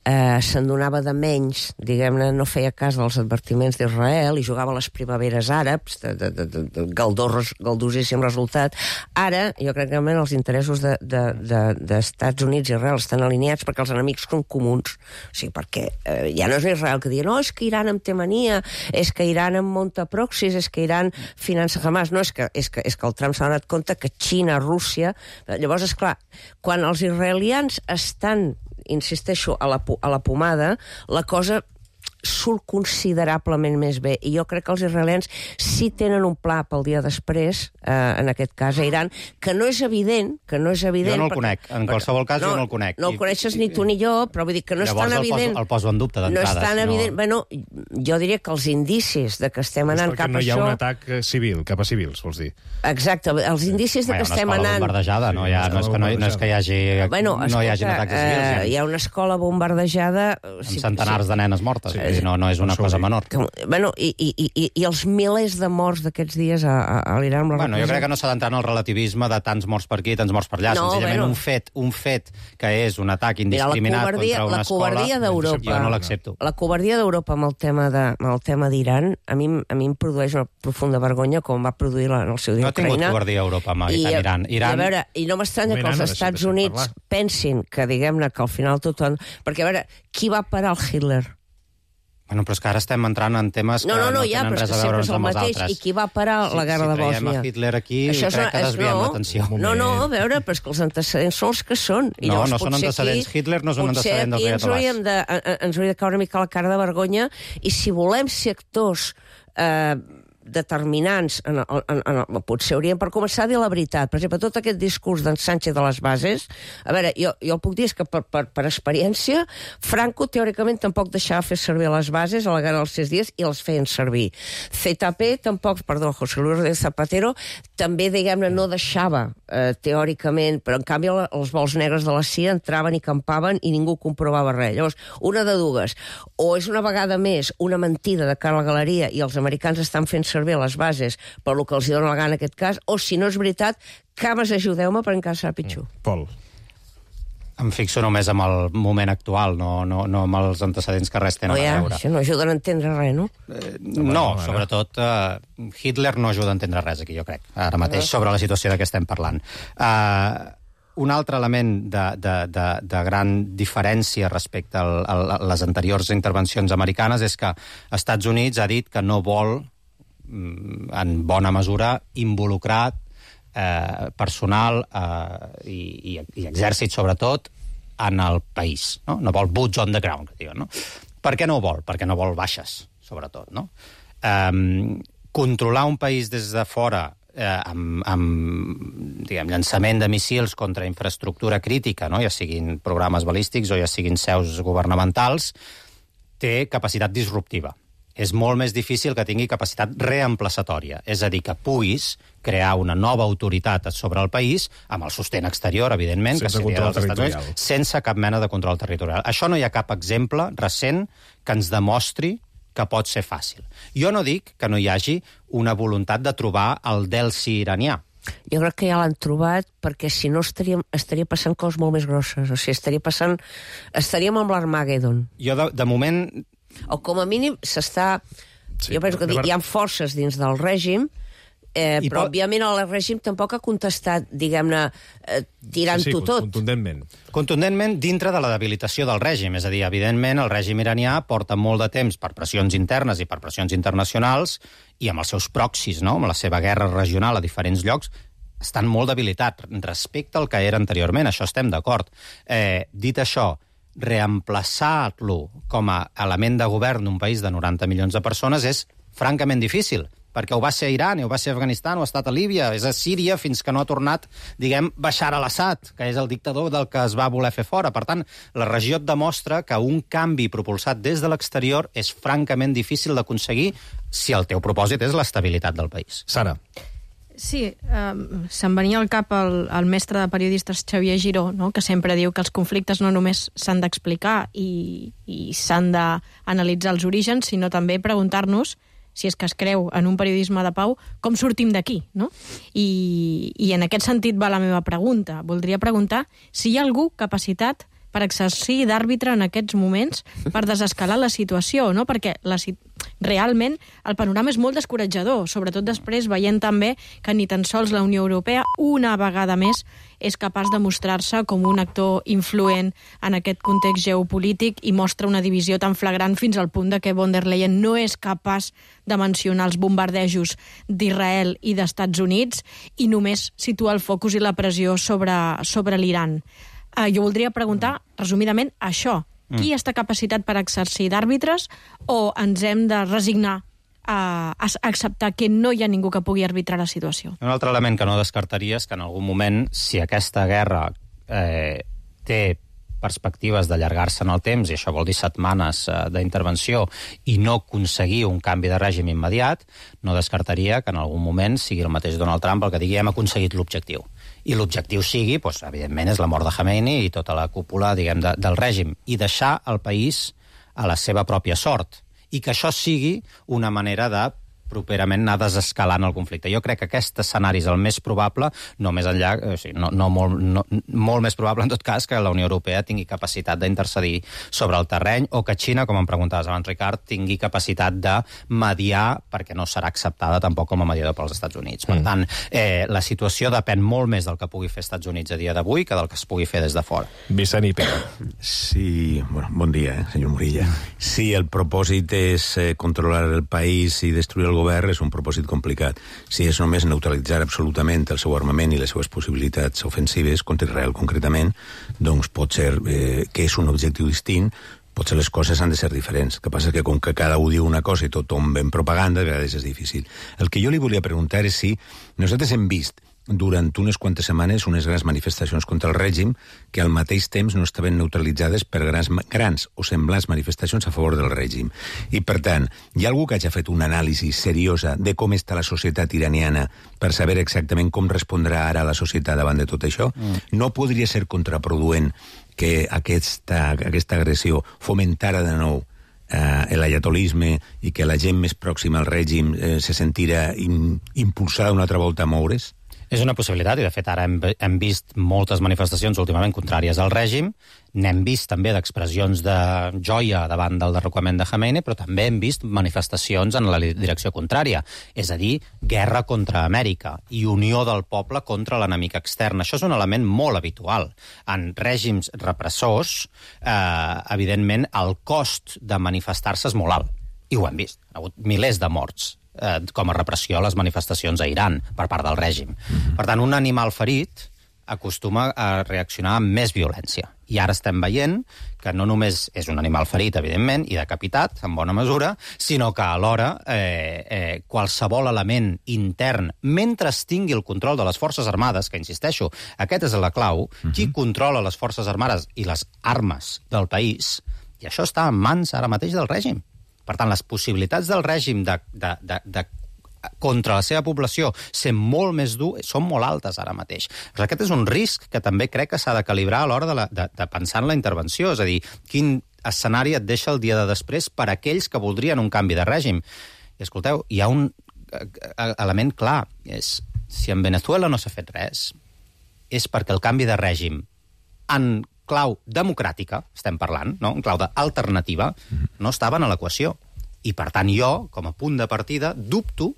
eh, se'n donava de menys, diguem-ne, no feia cas dels advertiments d'Israel i jugava a les primaveres àrabs, de, de, de, de galdós, galdosíssim resultat. Ara, jo crec que realment els interessos de, de, de, d'Estats Units i Israel estan alineats perquè els enemics són comuns. O sigui, perquè eh, ja no és Israel que diu no, és que Iran em té mania, és que Iran em munta proxys, és que Iran finança Hamas. No, és que, és que, és que el Trump s'ha donat compte que Xina, Rússia... Llavors, és clar, quan els israelians estan, insisteixo, a la, a la pomada, la cosa surt considerablement més bé. I jo crec que els israelians sí tenen un pla pel dia després, eh, en aquest cas a Iran, que no és evident, que no és evident... Jo no el perquè, conec, en qualsevol cas no, jo no el conec. No el coneixes ni tu ni jo, però vull dir que no Llavors és tan el evident... Poso, el poso en dubte d'entrada. No és tan si evident... no... Bueno, jo diria que els indicis de que estem anant cap a això... no hi ha un atac civil, cap a civils, vols dir? Exacte, els indicis de que estem anant... Hi ha una escola bombardejada, no, hi ha, no, és que no, no és que hi hagi, bueno, escolta, no hi hagi atacs civils. Eh, hi ha una escola bombardejada... Amb centenars de nenes mortes, sí, no, no és una cosa menor. Que, bueno, i, i, i, i els milers de morts d'aquests dies a, a, a l'Iran... Bueno, jo crec que no s'ha d'entrar en el relativisme de tants morts per aquí, tants morts per allà. No, senzillament bueno. un fet un fet que és un atac indiscriminat Mira, contra una escola... La covardia d'Europa... Jo no l'accepto. La covardia d'Europa amb el tema de, amb el tema d'Iran a mi, a mi em produeix una profunda vergonya com va produir la, en el seu dia no Ucraïna. No ha tingut covardia a Europa amb I, Iran. I, Iran... I, a veure, i no m'estranya que els Estats Units pensin que, diguem-ne, que al final tot... Perquè, a veure, qui va parar el Hitler? Bueno, però és que ara estem entrant en temes que no, no, no, no ja, tenen res a veure amb els mateix. altres. I qui va parar si, la guerra si de Bòsnia? Si traiem a Hitler aquí, això crec que desviem no, l'atenció. No, no, a veure, però és que els antecedents són els que són. I no, llavors, no són antecedents. Aquí, Hitler no és un antecedent dels ayatollahs. De, ens hauria de caure una mica la cara de vergonya i si volem ser actors... Eh, determinants, en, en, en, en, potser hauríem per començar a dir la veritat. Per exemple, tot aquest discurs d'en Sánchez de les bases, a veure, jo, jo el puc dir és que per, per, per experiència, Franco teòricament tampoc deixava fer servir les bases a la guerra dels sis dies i els feien servir. C T P tampoc, perdó, José Luis Rodríguez Zapatero, també, diguem-ne, no deixava eh, teòricament, però en canvi els vols negres de la C I A entraven i campaven i ningú comprovava res. Llavors, una de dues, o és una vegada més una mentida de cara a la galeria i els americans estan fent servir les bases per el que els dona la gana en aquest cas, o si no és veritat, cames, ajudeu-me perquè encara serà pitjor. Pol. Em fixo només amb el moment actual, no, no, no amb els antecedents que res tenen no, ja, a veure. Això no ajuda a entendre res, no? Eh, no, sobretot eh, Hitler no ajuda a entendre res aquí, jo crec, ara mateix, sobre la situació de què estem parlant. Eh... Un altre element de, de, de, de gran diferència respecte al, a les anteriors intervencions americanes és que Estats Units ha dit que no vol, en bona mesura, involucrar eh, personal eh, i, i, i exèrcit, sobretot, en el país. No, no vol boots on the ground, que diuen, no? Per què no ho vol? Perquè no vol baixes, sobretot, no? Eh, controlar un país des de fora Eh, amb, amb diguem, llançament de missils contra infraestructura crítica, no? Ja siguin programes balístics o ja siguin seus governamentals, té capacitat disruptiva. És molt més difícil que tingui capacitat reemplaçatòria, és a dir, que puguis crear una nova autoritat sobre el país, amb el sostén exterior, evidentment, sense que seria dels Estats Units, sense cap mena de control territorial. Això no hi ha cap exemple recent que ens demostri que pot ser fàcil. Jo no dic que no hi hagi una voluntat de trobar el Delsi iranià. Jo crec que ja l'han trobat perquè si no estaríem, estaria passant coses molt més grosses. O sigui, estaria passant... Estaríem amb l'Armagedon. Jo, de, de moment... O com a mínim s'està... Sí, jo penso que hi ha forces dins del règim, eh, però pot... òbviament el règim tampoc ha contestat, diguem-ne, eh, tirant-ho sí, sí, tot. Contundentment. Contundentment dintre de la debilitació del règim. És a dir, evidentment, el règim iranià porta molt de temps per pressions internes i per pressions internacionals i amb els seus proxis, no? Amb la seva guerra regional a diferents llocs, estan molt debilitats respecte al que era anteriorment. Això estem d'acord. Eh, dit això, reemplaçar-lo com a element de govern d'un país de noranta milions de persones és francament difícil, perquè ho va ser a Iran, ho va ser a Afganistan, ho ha estat a Líbia, és a Síria fins que no ha tornat, diguem, Bashar al-Assad, que és el dictador del que es va voler fer fora. Per tant, la regió et demostra que un canvi propulsat des de l'exterior és francament difícil d'aconseguir si el teu propòsit és l'estabilitat del país. Sara. Sí, um, se'm venia al cap el, el mestre de periodistes Xavier Giró, no? Que sempre diu que els conflictes no només s'han d'explicar i, i s'han d'analitzar els orígens, sinó també preguntar-nos si és que es creu en un periodisme de pau, com sortim d'aquí, no? I, I en aquest sentit va la meva pregunta. Voldria preguntar si hi ha algú capacitat per exercir d'àrbitre en aquests moments per desescalar la situació, no? Perquè la, realment el panorama és molt descoratjador, sobretot després veient també que ni tan sols la Unió Europea una vegada més és capaç de mostrar-se com un actor influent en aquest context geopolític i mostra una divisió tan flagrant fins al punt de que von der Leyen no és capaç de mencionar els bombardejos d'Israel i d'Estats Units i només situa el focus i la pressió sobre, sobre l'Iran. Uh, jo voldria preguntar, resumidament, això. Qui mm. està capacitat per exercir d'àrbitres o ens hem de resignar a, a acceptar que no hi ha ningú que pugui arbitrar la situació? Un altre element que no descartaria és que en algun moment, si aquesta guerra eh, té perspectives d'allargar-se en el temps, i això vol dir setmanes eh, d'intervenció, i no aconseguir un canvi de règim immediat, no descartaria que en algun moment sigui el mateix Donald Trump el que digui hem aconseguit l'objectiu. I l'objectiu sigui, doncs, evidentment, és la mort de Khamenei i tota la cúpula, diguem, de, del règim, i deixar el país a la seva pròpia sort. I que això sigui una manera de properament anar desescalant el conflicte. Jo crec que aquest escenari és el més probable, no més enllà, o sigui, no, no, molt, no, molt més probable, en tot cas, que la Unió Europea tingui capacitat d'intercedir sobre el terreny, o que Xina, com em preguntaves abans, Ricard, tingui capacitat de mediar, perquè no serà acceptada tampoc com a mediador pels Estats Units. Per mm. tant, eh, la situació depèn molt més del que pugui fer Estats Units a dia d'avui que del que es pugui fer des de fora. Vicent i Pere. Sí, bueno, bon dia, eh, senyor Morilla. Si el propòsit és eh, controlar el país i destruir el govern, és un propòsit complicat. Si és només neutralitzar absolutament el seu armament i les seves possibilitats ofensives, contra Israel concretament, doncs pot ser eh, que és un objectiu distint, potser les coses han de ser diferents. El que passa és que com que cada un diu una cosa i tothom ven propaganda, a vegades és difícil. El que jo li volia preguntar és si nosaltres hem vist durant unes quantes setmanes unes grans manifestacions contra el règim que al mateix temps no estaven neutralitzades per grans, grans o semblants manifestacions a favor del règim. I, per tant, hi ha algú que hagi fet una anàlisi seriosa de com està la societat iraniana per saber exactament com respondrà ara la societat davant de tot això? Mm. No podria ser contraproduent que aquesta, aquesta agressió fomentara de nou eh, l'ayatolisme i que la gent més pròxima al règim eh, se sentira in, impulsada una altra volta a moure's? És una possibilitat, i de fet ara hem, hem vist moltes manifestacions últimament contràries al règim, n'hem vist també d'expressions de joia davant del derrocament de Khamenei, però també hem vist manifestacions en la direcció contrària, és a dir, guerra contra Amèrica i unió del poble contra l'enemic extern. Això és un element molt habitual. En règims repressors, eh, evidentment, el cost de manifestar-se és molt alt, i ho hem vist. Ha hagut milers de morts Eh, com a repressió a les manifestacions a Iran per part del règim. Mm-hmm. Per tant, un animal ferit acostuma a reaccionar amb més violència. I ara estem veient que no només és un animal ferit, evidentment, i decapitat, en bona mesura, sinó que alhora eh, eh, qualsevol element intern, mentre es tingui el control de les Forces Armades, que insisteixo, aquest és la clau, mm-hmm. qui controla les Forces Armades i les armes del país, i això està en mans ara mateix del règim. Per tant, les possibilitats del règim de, de, de, de, contra la seva població ser molt més dur són molt altes ara mateix. Però aquest és un risc que també crec que s'ha de calibrar a l'hora de, la, de, de pensar en la intervenció. És a dir, quin escenari et deixa el dia de després per a aquells que voldrien un canvi de règim. I escolteu, hi ha un element clar. És, si en Venezuela no s'ha fet res, és perquè el canvi de règim en clau democràtica, estem parlant, no? En clau d'alternativa, no estaven a l'equació. I, per tant, jo, com a punt de partida, dubto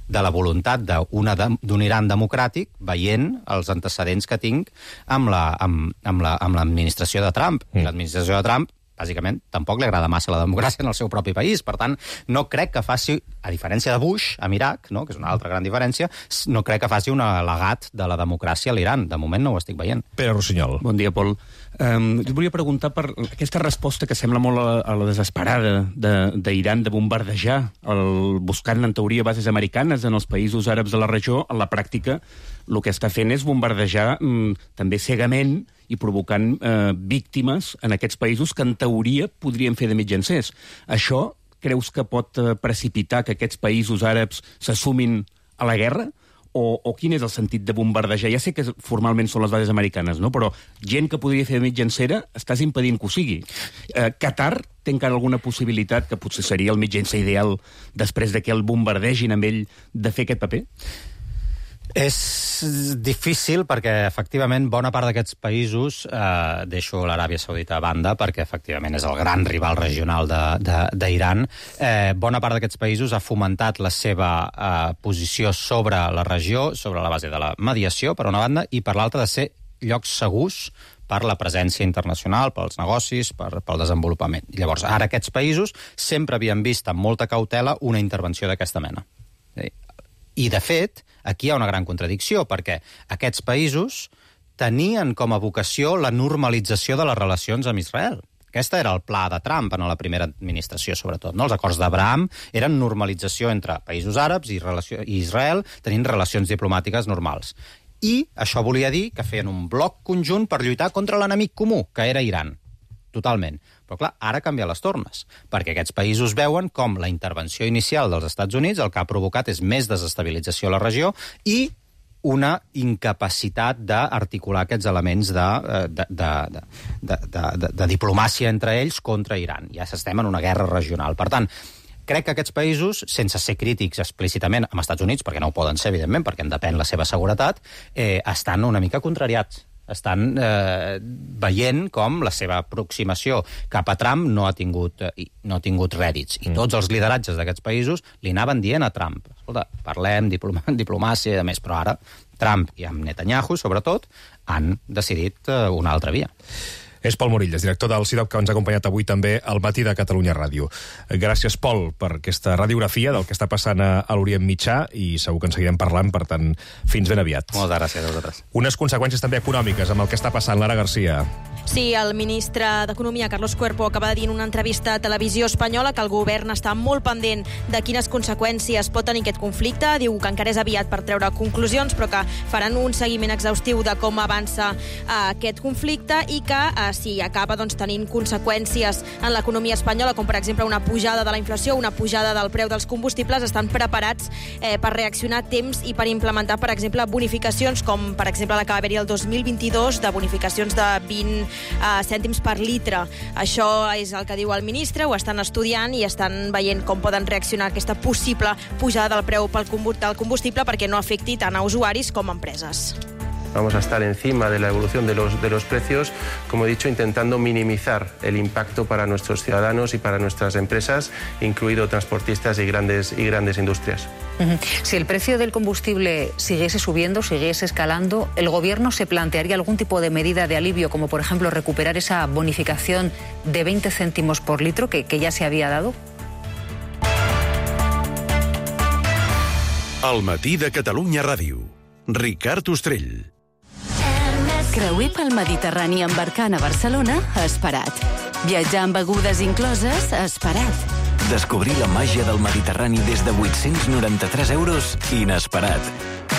de la voluntat d'un Iran democràtic veient els antecedents que tinc amb l'administració la, amb, amb de Trump. Mm. L'administració de Trump, bàsicament, tampoc li agrada massa la democràcia en el seu propi país. Per tant, no crec que faci, a diferència de Bush, amb Iraq, no? Que és una altra gran diferència, no crec que faci un al·legat de la democràcia a l'Iran. De moment no ho estic veient. Pere Rossinyol. Bon dia, Pol. Um, jo volia preguntar per aquesta resposta que sembla molt a la, a la desesperada d'Iran de, de bombardejar, el, buscant, en teoria, bases americanes en els països àrabs de la regió. En la pràctica, el que està fent és bombardejar um, també cegament i provocant eh, víctimes en aquests països que, en teoria, podrien fer de mitjancers. Això creus que pot eh, precipitar que aquests països àrabs s'assumin a la guerra? o, o quin és el sentit de bombardejar? Ja sé que formalment són les bases americanes, no? Però gent que podria fer de mitjancera, estàs impedint que ho sigui. Eh, Qatar té encara alguna possibilitat, que potser seria el mitjancer ideal després de que el bombardegin amb ell, de fer aquest paper? És difícil perquè, efectivament, bona part d'aquests països, eh, deixo l'Aràbia Saudita a banda, perquè, efectivament, és el gran rival regional d'Iran, eh, bona part d'aquests països ha fomentat la seva eh, posició sobre la regió, sobre la base de la mediació, per una banda, i per l'altra de ser llocs segurs per la presència internacional, pels negocis, per, pel desenvolupament. Llavors, ara aquests països sempre havien vist amb molta cautela una intervenció d'aquesta mena. I, de fet, aquí hi ha una gran contradicció, perquè aquests països tenien com a vocació la normalització de les relacions amb Israel. Aquest era el pla de Trump en la primera administració, sobretot. No? Els acords d'Abraham eren normalització entre països àrabs i, relació, i Israel, tenint relacions diplomàtiques normals. I això volia dir que feien un bloc conjunt per lluitar contra l'enemic comú, que era Iran. Totalment. Però, clar, ara canvia les tornes, perquè aquests països veuen com la intervenció inicial dels Estats Units el que ha provocat és més desestabilització a la regió i una incapacitat d'articular aquests elements de, de, de, de, de, de, de, de diplomàcia entre ells contra Iran. Ja estem en una guerra regional. Per tant, crec que aquests països, sense ser crítics explícitament amb Estats Units, perquè no ho poden ser, evidentment, perquè en depèn la seva seguretat, eh, estan una mica contrariats. Estan eh, veient com la seva aproximació cap a Trump no ha tingut, eh, no ha tingut rèdits. I tots els lideratges d'aquests països li anaven dient a Trump, escolta, parlem, diploma, diplomàcia i de més, però ara Trump i amb Netanyahu, sobretot, han decidit eh, una altra via. És Pol Morillas, director del C I D O C, que ens ha acompanyat avui també al Matí de Catalunya Ràdio. Gràcies, Pol, per aquesta radiografia del que està passant a l'Orient Mitjà i segur que en seguirem parlant, per tant, fins ben aviat. Moltes gràcies a vosaltres. Unes conseqüències també econòmiques amb el que està passant. Lara Garcia. Sí, el ministre d'Economia, Carlos Cuerpo, acaba de dir en una entrevista a Televisió Espanyola que el govern està molt pendent de quines conseqüències pot tenir aquest conflicte. Diu que encara és aviat per treure conclusions, però que faran un seguiment exhaustiu de com avança eh, aquest conflicte i que eh, si acaba doncs, tenint conseqüències en l'economia espanyola, com per exemple una pujada de la inflació, una pujada del preu dels combustibles, estan preparats eh, per reaccionar a temps i per implementar, per exemple, bonificacions, com per exemple la que va haver-hi el dos mil vint-i-dos, de bonificacions de vint eh, cèntims per litre. Això és el que diu el ministre, ho estan estudiant i estan veient com poden reaccionar a aquesta possible pujada del preu pel combustible perquè no afecti tant a usuaris com a empreses. Vamos a estar encima de la evolución de los, de los precios, como he dicho, intentando minimizar el impacto para nuestros ciudadanos y para nuestras empresas, incluido transportistas y grandes, y grandes industrias. Uh-huh. Si el precio del combustible siguiese subiendo, siguiese escalando, ¿el Gobierno se plantearía algún tipo de medida de alivio, como por ejemplo recuperar esa bonificación de veinte céntimos por litro que, que ya se había dado? Al Matí de Catalunya Ràdio. Ricard Ostrell. Creuer pel Mediterrani embarcant a Barcelona, esperat. Viatjar amb begudes incloses, esperat. Descobrir la màgia del Mediterrani des de vuit-cents noranta-tres euros, inesperat.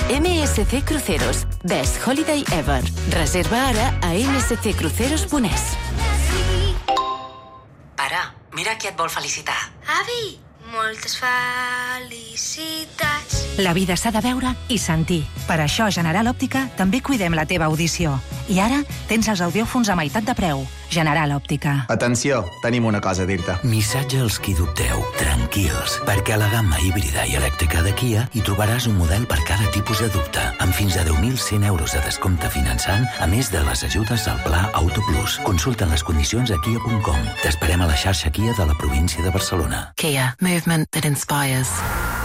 M S C Cruceros, Best Holiday Ever. Reserva ara a m s c cruceros punt e s. Pare, mira qui et vol felicitar. Avi, moltes felicitats. La vida s'ha de veure i sentir. Per això a General Òptica també cuidem la teva audició. I ara tens els audiòfons a meitat de preu. General Òptica. Atenció, tenim una cosa a dir-te. Missatge als qui dubteu. Tranquils, perquè a la gamma híbrida i elèctrica de Kia hi trobaràs un model per cada tipus de dubte, amb fins a deu mil cent euros de descompte finançant, a més de les ajudes al Pla Auto Plus. Consulta les condicions a kia punt com. T'esperem a la xarxa Kia de la província de Barcelona. Kia, movement that inspires.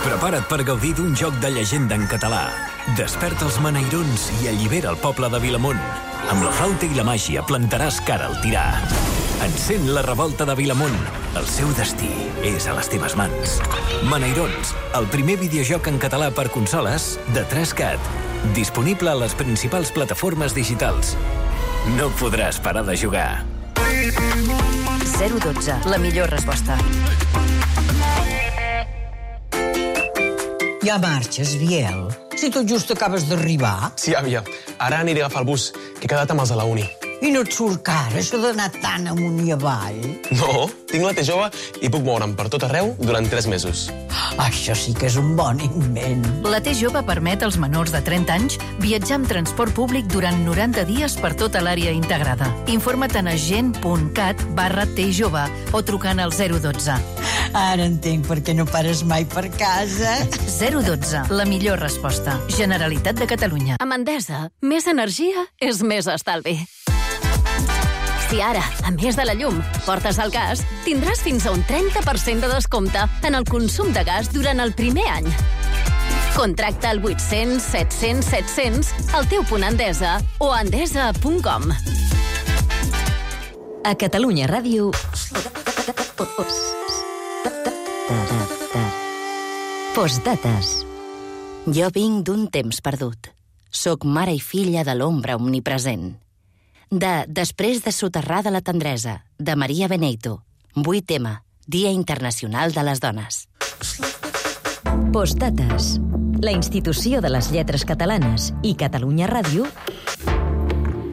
Prepara't per gaudir d'un joc de llegenda en català. Desperta els maneirons i allibera el poble de Vilamont. Amb la flauta i la màgia plantaràs cara al tirà. Encén la revolta de Vilamont. El seu destí és a les teves mans. Maneirons, el primer videojoc en català per consoles de tres cat. Disponible a les principals plataformes digitals. No podràs parar de jugar. zero dotze, la millor resposta. Ja marxes, Biel? Si tot just acabes d'arribar. Sí, àvia. Ara aniré a agafar el bus, que he quedat amb els de la uni. I no et surt car, això d'anar tan amunt i avall? No, tinc la T jove i puc moure'm per tot arreu durant tres mesos. Això sí que és un bon invent. La T jove permet als menors de trenta anys viatjar amb transport públic durant noranta dies per tota l'àrea integrada. Informa't a agent.cat barra T jove o trucant al zero dotze. Ara entenc per què no pares mai per casa. zero dotze, la millor resposta. Generalitat de Catalunya. Amb Endesa, més energia és més estalvi. Si ara, a més de la llum, portes el gas, tindràs fins a un trenta per cent de descompte en el consum de gas durant el primer any. Contracta al vuit-cents set-cents set-cents al teu punt Endesa o a endesa punt com. A Catalunya Ràdio... Postdates. Jo vinc d'un temps perdut. Soc mare i filla de l'ombra omnipresent. De Després de soterrar de la tendresa, de Maria Beneito. vuit eme, Dia Internacional de les Dones. Postdates. La institució de les lletres catalanes i Catalunya Ràdio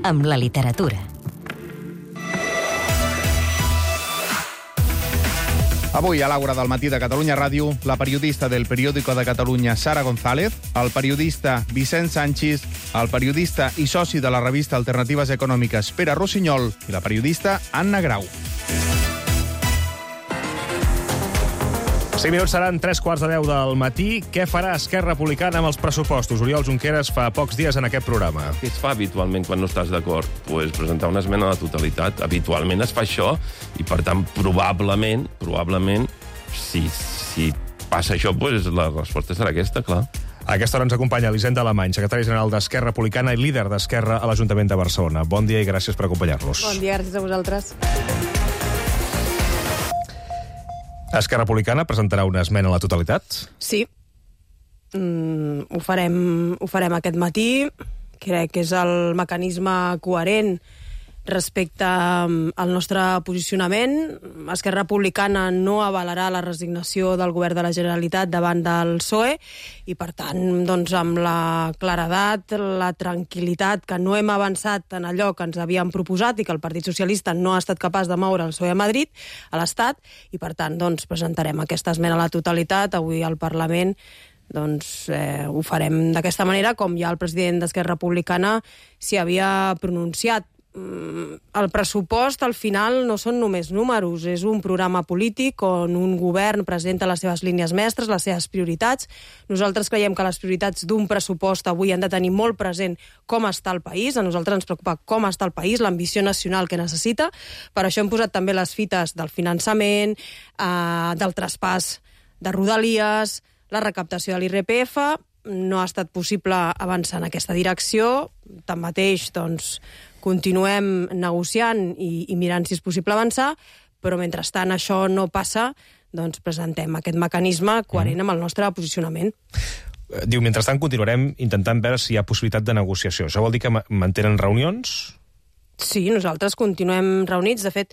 amb la literatura. Avui, a l'Àgora del matí de Catalunya Ràdio, la periodista del Periódico de Catalunya, Sara González, el periodista Vicent Sanchis, el periodista i soci de la revista Alternatives Econòmiques, Pere Rossinyol, i la periodista Anna Grau. cinc minuts seran tres quarts de deu del matí. Què farà Esquerra Republicana amb els pressupostos? Oriol Junqueras fa pocs dies en aquest programa. Què es fa habitualment quan no estàs d'acord? Pues presentar una esmena a la totalitat. Habitualment es fa això i, per tant, probablement, probablement, si, si passa això, pues la resposta serà aquesta, clar. A aquesta hora ens acompanya Elisenda Alemany, secretari general d'Esquerra Republicana i líder d'Esquerra a l'Ajuntament de Barcelona. Bon dia i gràcies per acompanyar-nos. Bon dia, gràcies a vosaltres. Esquerra Republicana presentarà una esmena a la totalitat? Sí. Mm, ho farem, ho farem aquest matí. Crec que és el mecanisme coherent respecte al nostre posicionament. Esquerra Republicana no avalarà la resignació del govern de la Generalitat davant del P S O E i, per tant, doncs, amb la claredat, la tranquil·litat que no hem avançat en allò que ens havíem proposat i que el Partit Socialista no ha estat capaç de moure el P S O E a Madrid, a l'Estat, i, per tant, doncs, presentarem aquesta esmena a la totalitat avui al Parlament. Doncs eh, ho farem d'aquesta manera, com ja el president d'Esquerra Republicana s'hi havia pronunciat. El pressupost, al final, no són només números, és un programa polític on un govern presenta les seves línies mestres, les seves prioritats. Nosaltres creiem que les prioritats d'un pressupost avui han de tenir molt present com està el país. A nosaltres ens preocupa com està el país, l'ambició nacional que necessita. Per això hem posat també les fites del finançament, eh, del traspàs de Rodalies, la recaptació de l'I R P F. No ha estat possible avançar en aquesta direcció. Tanmateix, doncs, continuem negociant i, i mirant si és possible avançar, però mentrestant això no passa, doncs presentem aquest mecanisme coherent amb el nostre posicionament. Diu, mentrestant continuarem intentant veure si hi ha possibilitat de negociació. Això vol dir que mantenen reunions? Sí, nosaltres continuem reunits. De fet,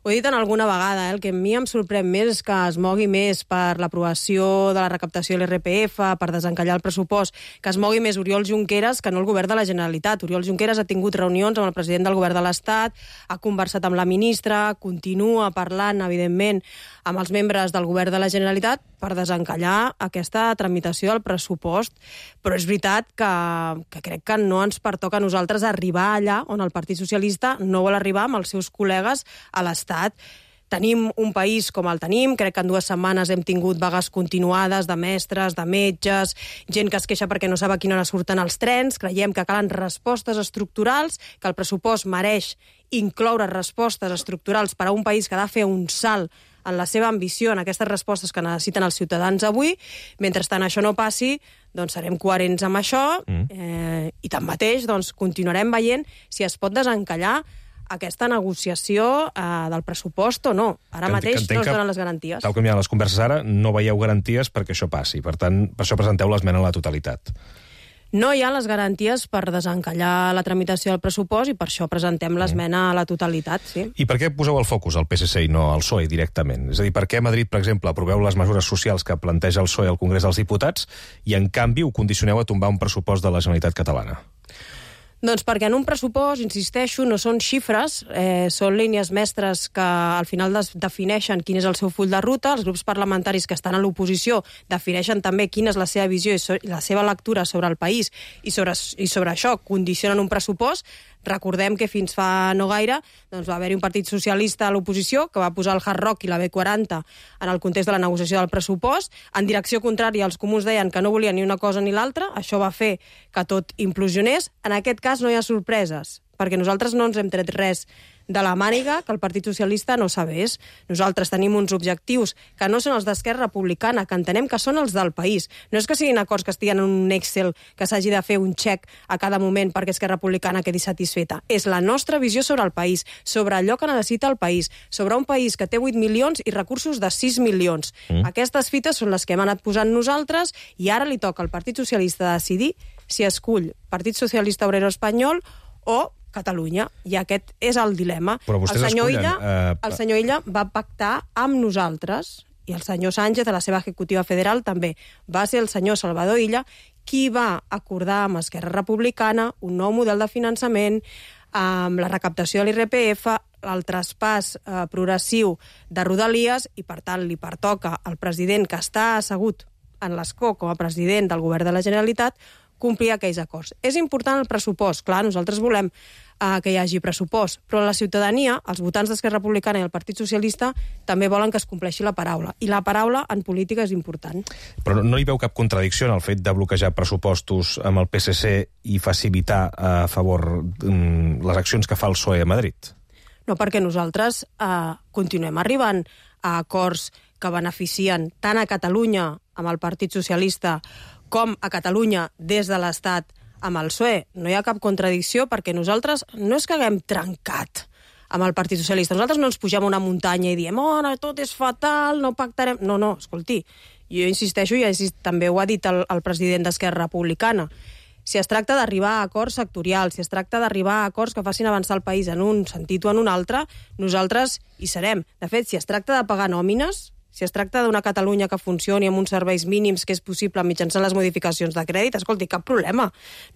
ho he dit en alguna vegada, eh? El que a mi em sorprèn més és que es mogui més per l'aprovació de la recaptació de l'I R P F, per desencallar el pressupost, que es mogui més Oriol Junqueras que no el govern de la Generalitat. Oriol Junqueras ha tingut reunions amb el president del govern de l'Estat, ha conversat amb la ministra, continua parlant, evidentment, amb els membres del govern de la Generalitat per desencallar aquesta tramitació del pressupost. Però és veritat que, que crec que no ens pertoca a nosaltres arribar allà on el Partit Socialista no vol arribar amb els seus col·legues a l'Estat. Tenim un país com el tenim, crec que en dues setmanes hem tingut vagues continuades de mestres, de metges, gent que es queixa perquè no sap a quina hora surten els trens. Creiem que calen respostes estructurals, que el pressupost mereix incloure respostes estructurals per a un país que ha de fer un salt en la seva ambició, en aquestes respostes que necessiten els ciutadans avui. Mentrestant això no passi, doncs serem coherents amb això mm. eh, i tanmateix doncs, continuarem veient si es pot desencallar aquesta negociació eh, del pressupost o no. Ara que mateix no es donen les garanties. Tal com hi ha les converses ara, no veieu garanties perquè això passi. Per tant, per això presenteu l'esmena a la totalitat. No hi ha les garanties per desencallar la tramitació del pressupost i per això presentem l'esmena a la totalitat, sí. I per què poseu el focus al P S C i no al P S O E directament? És a dir, per què a Madrid, per exemple, aproveu les mesures socials que planteja el P S O E al Congrés dels Diputats i, en canvi, ho condicioneu a tombar un pressupost de la Generalitat catalana? Doncs perquè en un pressupost, insisteixo, no són xifres, eh, són línies mestres que al final des defineixen quin és el seu full de ruta. Els grups parlamentaris que estan a l'oposició defineixen també quina és la seva visió i so la seva lectura sobre el país i sobre, i sobre això condicionen un pressupost. Recordem que fins fa no gaire doncs va haver-hi un partit socialista a l'oposició que va posar el Hard Rock i la B quaranta en el context de la negociació del pressupost. En direcció contrària, els comuns deien que no volien ni una cosa ni l'altra. Això va fer que tot implosionés. En aquest cas no hi ha sorpreses, perquè nosaltres no ens hem tret res de la màniga que el Partit Socialista no sabés. Nosaltres tenim uns objectius que no són els d'Esquerra Republicana, que entenem que són els del país. No és que siguin acords que estiguen en un Excel que s'hagi de fer un xec a cada moment perquè Esquerra Republicana quedi satisfeta. És la nostra visió sobre el país, sobre allò que necessita el país, sobre un país que té vuit milions i recursos de sis milions. Mm. Aquestes fites són les que hem anat posant nosaltres i ara li toca al Partit Socialista decidir si escull Partit Socialista Obrero Espanyol o Catalunya, i aquest és el dilema. Però vostès el senyor escullen... Illa, Uh... el senyor Illa va pactar amb nosaltres, i el senyor Sánchez, a la seva executiva federal, també. Va ser el senyor Salvador Illa qui va acordar amb Esquerra Republicana un nou model de finançament, amb la recaptació de l'I R P F, el traspàs eh, progressiu de Rodalies, i per tant li pertoca al president que està assegut en l'escó com a president del govern de la Generalitat complir aquells acords. És important el pressupost, clar, nosaltres volem eh, que hi hagi pressupost, però la ciutadania, els votants d'Esquerra Republicana i el Partit Socialista, també volen que es compleixi la paraula. I la paraula en política és important. Però no, no hi veu cap contradicció en el fet de bloquejar pressupostos amb el P S C i facilitar a favor mm, les accions que fa el P S O E a Madrid? No, perquè nosaltres eh, continuem arribant a acords que beneficien tant a Catalunya amb el Partit Socialista com a Catalunya des de l'Estat amb el P S O E. No hi ha cap contradicció perquè nosaltres no és que haguem trencat amb el Partit Socialista. Nosaltres no ens pugem a una muntanya i diem oh, no, tot és fatal, no pactarem... No, no, escolti, jo insisteixo, i també ho ha dit el, el president d'Esquerra Republicana, si es tracta d'arribar a acords sectorials, si es tracta d'arribar a acords que facin avançar el país en un sentit o en un altre, nosaltres hi serem. De fet, si es tracta de pagar nòmines, si es tracta d'una Catalunya que funcioni amb uns serveis mínims que és possible mitjançant les modificacions de crèdit, escolti, cap problema.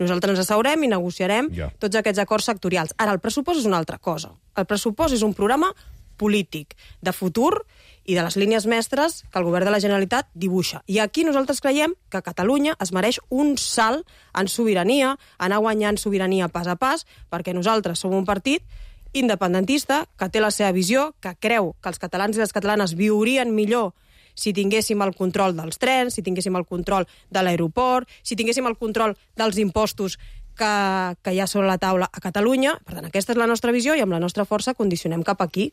Nosaltres ens asseurem i negociarem yeah. tots aquests acords sectorials. Ara, el pressupost és una altra cosa. El pressupost és un programa polític, de futur i de les línies mestres que el govern de la Generalitat dibuixa. I aquí nosaltres creiem que Catalunya es mereix un salt en sobirania, anar guanyant sobirania pas a pas, perquè nosaltres som un partit independentista, que té la seva visió, que creu que els catalans i les catalanes viurien millor si tinguéssim el control dels trens, si tinguéssim el control de l'aeroport, si tinguéssim el control dels impostos que, que hi ha sobre la taula a Catalunya. Per tant, aquesta és la nostra visió i amb la nostra força condicionem cap aquí.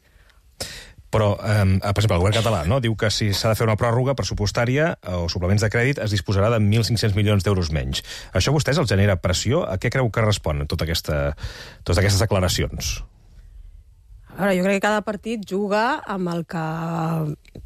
Però, eh, per exemple, el govern català no? diu que si s'ha de fer una pròrroga pressupostària o suplements de crèdit es disposarà de mil cinc-cents milions d'euros menys. Això a vostès els genera pressió? A què creu que responen tota aquesta, totes aquestes declaracions? A veure, jo crec que cada partit juga amb el que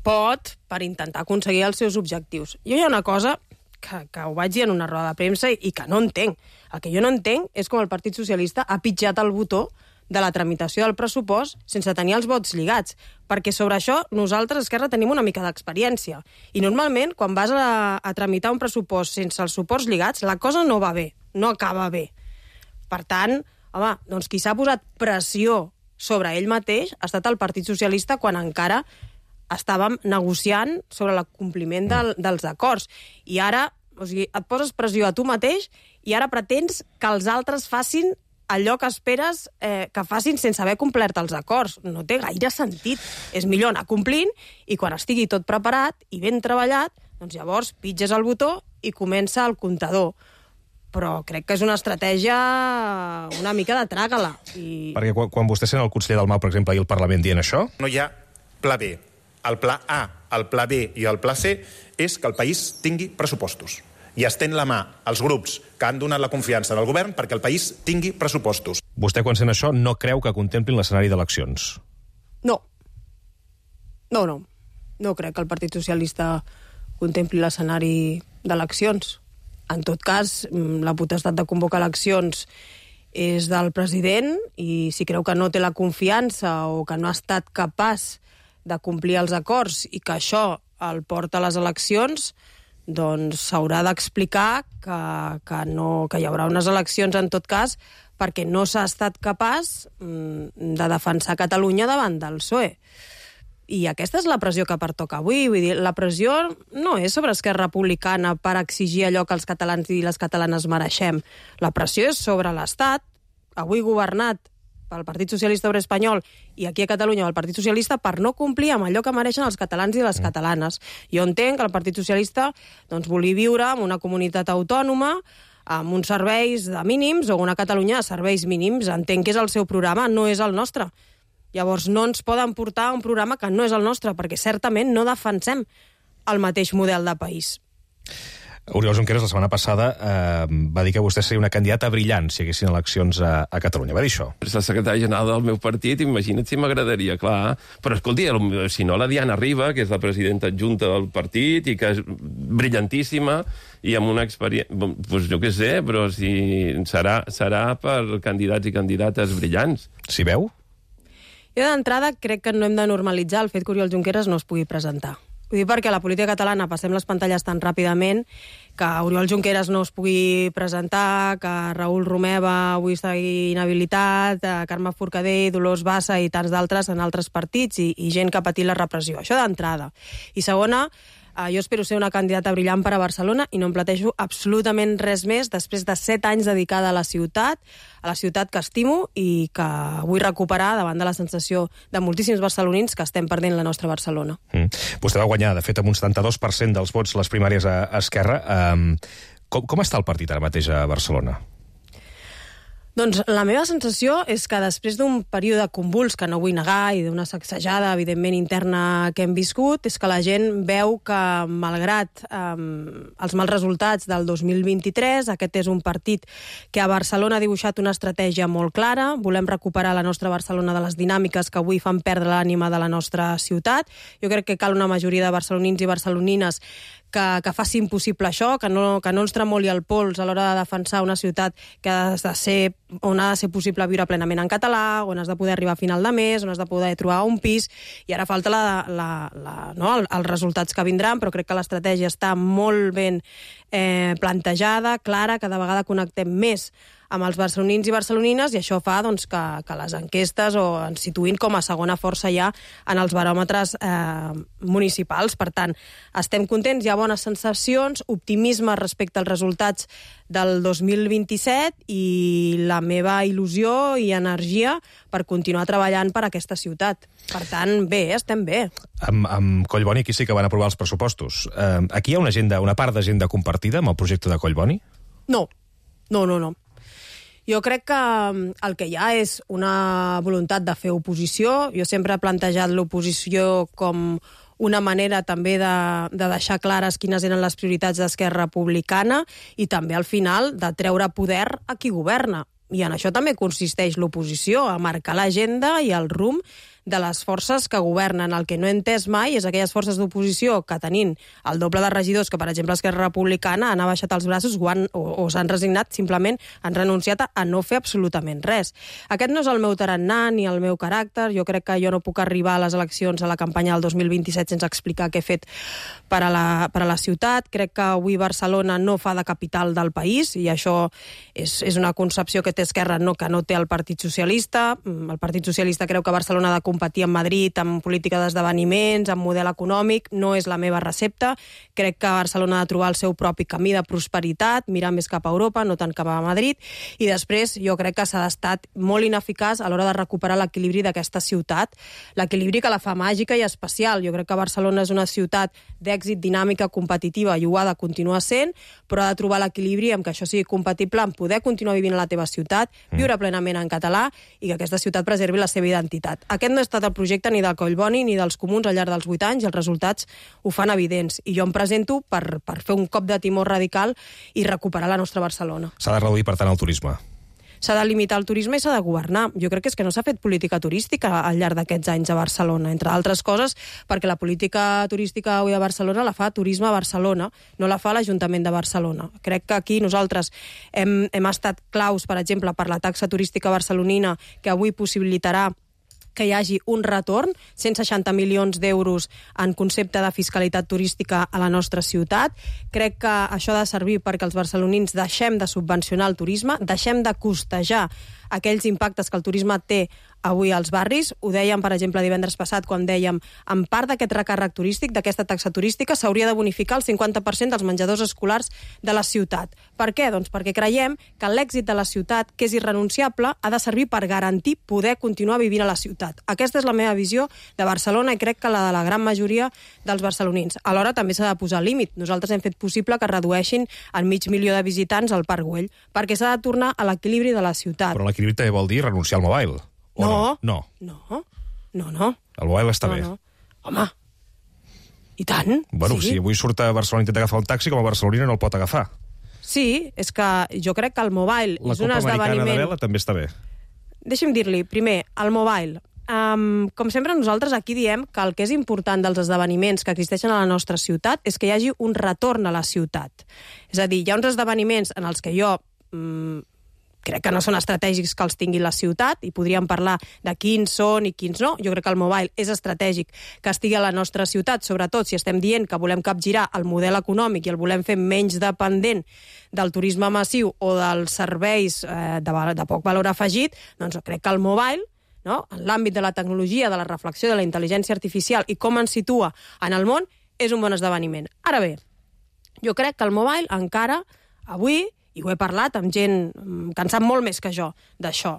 pot per intentar aconseguir els seus objectius. Jo hi ha una cosa que, que ho vaig dir en una roda de premsa i que no entenc. El que jo no entenc és com el Partit Socialista ha pitjat el botó de la tramitació del pressupost sense tenir els vots lligats, perquè sobre això nosaltres, Esquerra, tenim una mica d'experiència. I normalment, quan vas a, a tramitar un pressupost sense els suports lligats, la cosa no va bé, no acaba bé. Per tant, home, doncs qui s'ha posat pressió sobre ell mateix ha estat el Partit Socialista quan encara estàvem negociant sobre l'acompliment del, dels acords. I ara, o sigui, et poses pressió a tu mateix i ara pretens que els altres facin allò que esperes eh, que facin sense haver complert els acords. No té gaire sentit. És millor anar complint i quan estigui tot preparat i ben treballat, doncs llavors pitges el botó i comença el comptador. Però crec que és una estratègia una mica de tràgala. I... Perquè quan, quan vostè sent el conseller del M A U, per exemple, i el Parlament dient això... No hi ha pla B. El pla A, el pla B i el pla C és que el país tingui pressupostos. I estén la mà als grups que han donat la confiança del govern perquè el país tingui pressupostos. Vostè, quan sent això, no creu que contemplin l'escenari d'eleccions? No. No, no. No crec que el Partit Socialista contempli l'escenari d'eleccions. En tot cas, la potestat de convocar eleccions és del president i si creu que no té la confiança o que no ha estat capaç de complir els acords i que això el porta a les eleccions, doncs s'haurà d'explicar que, que, no, que hi haurà unes eleccions, en tot cas, perquè no s'ha estat capaç de defensar Catalunya davant del P S O E. I aquesta és la pressió que pertoca avui. Vull dir, la pressió no és sobre Esquerra Republicana per exigir allò que els catalans i les catalanes mereixem. La pressió és sobre l'Estat, avui governat pel Partit Socialista Obrer Espanyol i aquí a Catalunya el Partit Socialista, per no complir amb allò que mereixen els catalans i les catalanes. Jo entenc que el Partit Socialista doncs, vulgui viure en una comunitat autònoma amb uns serveis de mínims o una Catalunya de serveis mínims. Entenc que és el seu programa, no és el nostre. Llavors no ens poden portar un programa que no és el nostre, perquè certament no defensem el mateix model de país. Oriol Junqueras la setmana passada eh, va dir que vostè seria una candidata brillant si hi haguessin eleccions a, a Catalunya. Va dir això. És la secretària general del meu partit, imagina't si m'agradaria, clar. Però escolti, si no, la Diana Riba, que és la presidenta adjunta del partit i que és brillantíssima i amb una experiència... Doncs jo què sé, però si serà, serà per candidats i candidates brillants. Si veu? Jo d'entrada crec que no hem de normalitzar el fet que Oriol Junqueras no es pugui presentar. Ho dic perquè a la política catalana passem les pantalles tan ràpidament que Oriol Junqueras no es pugui presentar, que Raül Romeva avui estigui inhabilitat, Carme Forcadell, Dolors Bassa i tants d'altres en altres partits i, i gent que ha patit la repressió. Això d'entrada. I segona, eh, jo espero ser una candidata brillant per a Barcelona i no em plantejo absolutament res més després de set anys dedicada a la ciutat, a la ciutat que estimo i que vull recuperar davant de la sensació de moltíssims barcelonins que estem perdent la nostra Barcelona. Mm. Vostè va guanyar, de fet, amb un setanta-dos per cent dels vots les primàries a Esquerra. Um, com, com està el partit ara mateix a Barcelona? Doncs la meva sensació és que després d'un període convuls, que no vull negar, i d'una sacsejada, evidentment, interna que hem viscut, és que la gent veu que, malgrat eh, els mals resultats del dos mil vint-i-tres, aquest és un partit que a Barcelona ha dibuixat una estratègia molt clara. Volem recuperar la nostra Barcelona de les dinàmiques que avui fan perdre l'ànima de la nostra ciutat. Jo crec que cal una majoria de barcelonins i barcelonines que, que facin possible això, que no, que no ens tremoli el pols a l'hora de defensar una ciutat que ha de ser, on ha de ser possible viure plenament en català, on has de poder arribar a final de mes, on has de poder trobar un pis, i ara falta la, la, la, no, els resultats que vindran, però crec que l'estratègia està molt ben eh, plantejada, clara, cada vegada connectem més amb els barcelonins i barcelonines, i això fa doncs, que, que les enquestes o ens situïn com a segona força ja en els baròmetres eh, municipals. Per tant, estem contents, hi ha bones sensacions, optimisme respecte als resultats del dos mil vint-i-set i la meva il·lusió i energia per continuar treballant per aquesta ciutat. Per tant, bé, estem bé. Amb, amb Collboni aquí sí que van aprovar els pressupostos. Eh, aquí hi ha una, agenda, una part d'agenda compartida amb el projecte de Collboni? No, no, no, no. Jo crec que el que hi ha és una voluntat de fer oposició. Jo sempre he plantejat l'oposició com una manera també de, de deixar clares quines eren les prioritats d'Esquerra Republicana i també, al final, de treure poder a qui governa. I en això també consisteix l'oposició, a marcar l'agenda i el rumb de les forces que governen. El que no he entès mai és aquelles forces d'oposició que, tenint el doble de regidors que, per exemple, Esquerra Republicana, han abaixat els braços o, han, o, o s'han resignat, simplement han renunciat a, a no fer absolutament res. Aquest no és el meu tarannà ni el meu caràcter. Jo crec que jo no puc arribar a les eleccions, a la campanya del dos mil vint-i-set, sense explicar què he fet per a la, per a la ciutat. Crec que avui Barcelona no fa de capital del país, i això és, és una concepció que té Esquerra, no, que no té el Partit Socialista. El Partit Socialista creu que Barcelona ha de competir amb Madrid, amb política d'esdeveniments, amb model econòmic. No és la meva recepta. Crec que Barcelona ha de trobar el seu propi camí de prosperitat, mirar més cap a Europa, no tant cap a Madrid, i després jo crec que s'ha estat molt ineficaç a l'hora de recuperar l'equilibri d'aquesta ciutat, l'equilibri que la fa màgica i especial. Jo crec que Barcelona és una ciutat d'èxit, dinàmica, competitiva, i ho ha de continuar sent, però ha de trobar l'equilibri amb que això sigui compatible amb poder continuar vivint a la teva ciutat, viure plenament en català i que aquesta ciutat preservi la seva identitat. Aquest no ha estat el projecte ni del Collboni ni dels comuns al llarg dels vuit anys, i els resultats ho fan evidents. I jo em presento per, per fer un cop de timó radical i recuperar la nostra Barcelona. S'ha de reduir, per tant, el turisme. S'ha de limitar el turisme i s'ha de governar. Jo crec que és que no s'ha fet política turística al llarg d'aquests anys a Barcelona, entre altres coses perquè la política turística avui a Barcelona la fa Turisme a Barcelona, no la fa l'Ajuntament de Barcelona. Crec que aquí nosaltres hem, hem estat claus, per exemple, per la taxa turística barcelonina, que avui possibilitarà que hi hagi un retorn, cent seixanta milions d'euros en concepte de fiscalitat turística a la nostra ciutat. Crec que això ha de servir perquè els barcelonins deixem de subvencionar el turisme, deixem de costejar aquells impactes que el turisme té avui als barris. Ho dèiem, per exemple, divendres passat, quan dèiem en part d'aquest recàrrec turístic, d'aquesta taxa turística, s'hauria de bonificar el cinquanta per cent dels menjadors escolars de la ciutat. Per què? Doncs perquè creiem que l'èxit de la ciutat, que és irrenunciable, ha de servir per garantir poder continuar vivint a la ciutat. Aquesta és la meva visió de Barcelona i crec que la de la gran majoria dels barcelonins. Alhora també s'ha de posar límit. Nosaltres hem fet possible que redueixin el mig milió de visitants al Parc Güell, perquè s'ha de tornar a l'equilibri de la ciutat. Però l'equilibri també vol dir renunciar al mobile. No, no, no, no, no. El mobile està no, bé. No. Home, i tant. Bueno, sí. Si avui surt a Barcelona i intenta agafar un taxi, com a barcelonina no el pot agafar. Sí, és que jo crec que el mobile La és un Copa Americana esdeveniment... de vela també està bé. Deixi'm dir-li, primer, el mobile. Um, com sempre, nosaltres aquí diem que el que és important dels esdeveniments que existeixen a la nostra ciutat és que hi hagi un retorn a la ciutat. És a dir, hi ha uns esdeveniments en els que jo... Um, crec que no són estratègics que els tingui la ciutat i podríem parlar de quins són i quins no. Jo crec que el mobile és estratègic que estigui a la nostra ciutat, sobretot si estem dient que volem capgirar el model econòmic i el volem fer menys dependent del turisme massiu o dels serveis eh, de, de poc valor afegit, doncs crec que el mobile, no? En l'àmbit de la tecnologia, de la reflexió, de la intel·ligència artificial i com ens situa en el món, és un bon esdeveniment. Ara bé, jo crec que el mobile encara, avui, i ho he parlat amb gent que en sap molt més que jo d'això,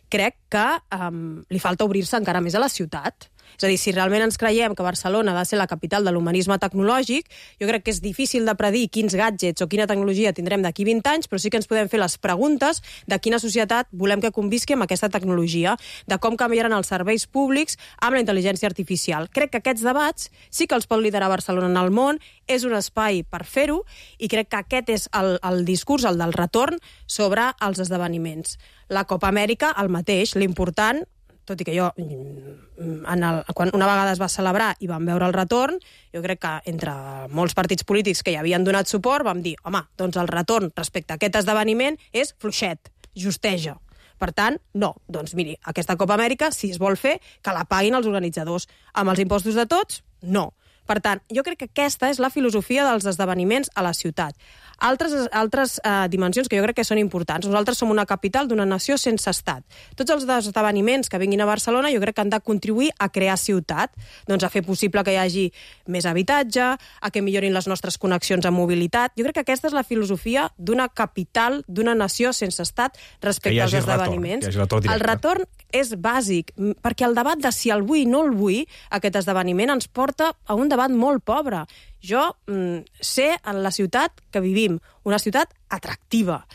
crec que um, li falta obrir-se encara més a la ciutat. És a dir, si realment ens creiem que Barcelona ha de ser la capital de l'humanisme tecnològic, jo crec que és difícil de predir quins gadgets o quina tecnologia tindrem d'aquí vint anys, però sí que ens podem fer les preguntes de quina societat volem que convisqui amb aquesta tecnologia, de com canviaran els serveis públics amb la intel·ligència artificial. Crec que aquests debats sí que els pot liderar Barcelona en el món, és un espai per fer-ho, i crec que aquest és el, el discurs, el del retorn, sobre els esdeveniments. La Copa Amèrica, el mateix, l'important, tot i que jo, en el, quan una vegada es va celebrar i vam veure el retorn, jo crec que entre molts partits polítics que hi havien donat suport vam dir, home, doncs el retorn respecte a aquest esdeveniment és fluixet, justeja. Per tant, no. Doncs miri, aquesta Copa Amèrica, si es vol fer, que la paguin els organitzadors. Amb els impostos de tots, no. Per tant, jo crec que aquesta és la filosofia dels esdeveniments a la ciutat. Altres, altres eh, dimensions que jo crec que són importants. Nosaltres som una capital d'una nació sense estat. Tots els esdeveniments que vinguin a Barcelona jo crec que han de contribuir a crear ciutat, doncs a fer possible que hi hagi més habitatge, a que millorin les nostres connexions amb mobilitat. Jo crec que aquesta és la filosofia d'una capital, d'una nació sense estat respecte als esdeveniments. Retorn, el retorn és bàsic, perquè el debat de si el vull o no el vull, aquest esdeveniment ens porta a un debat molt pobre. Jo mm, sé en la ciutat que vivim, una ciutat atractiva,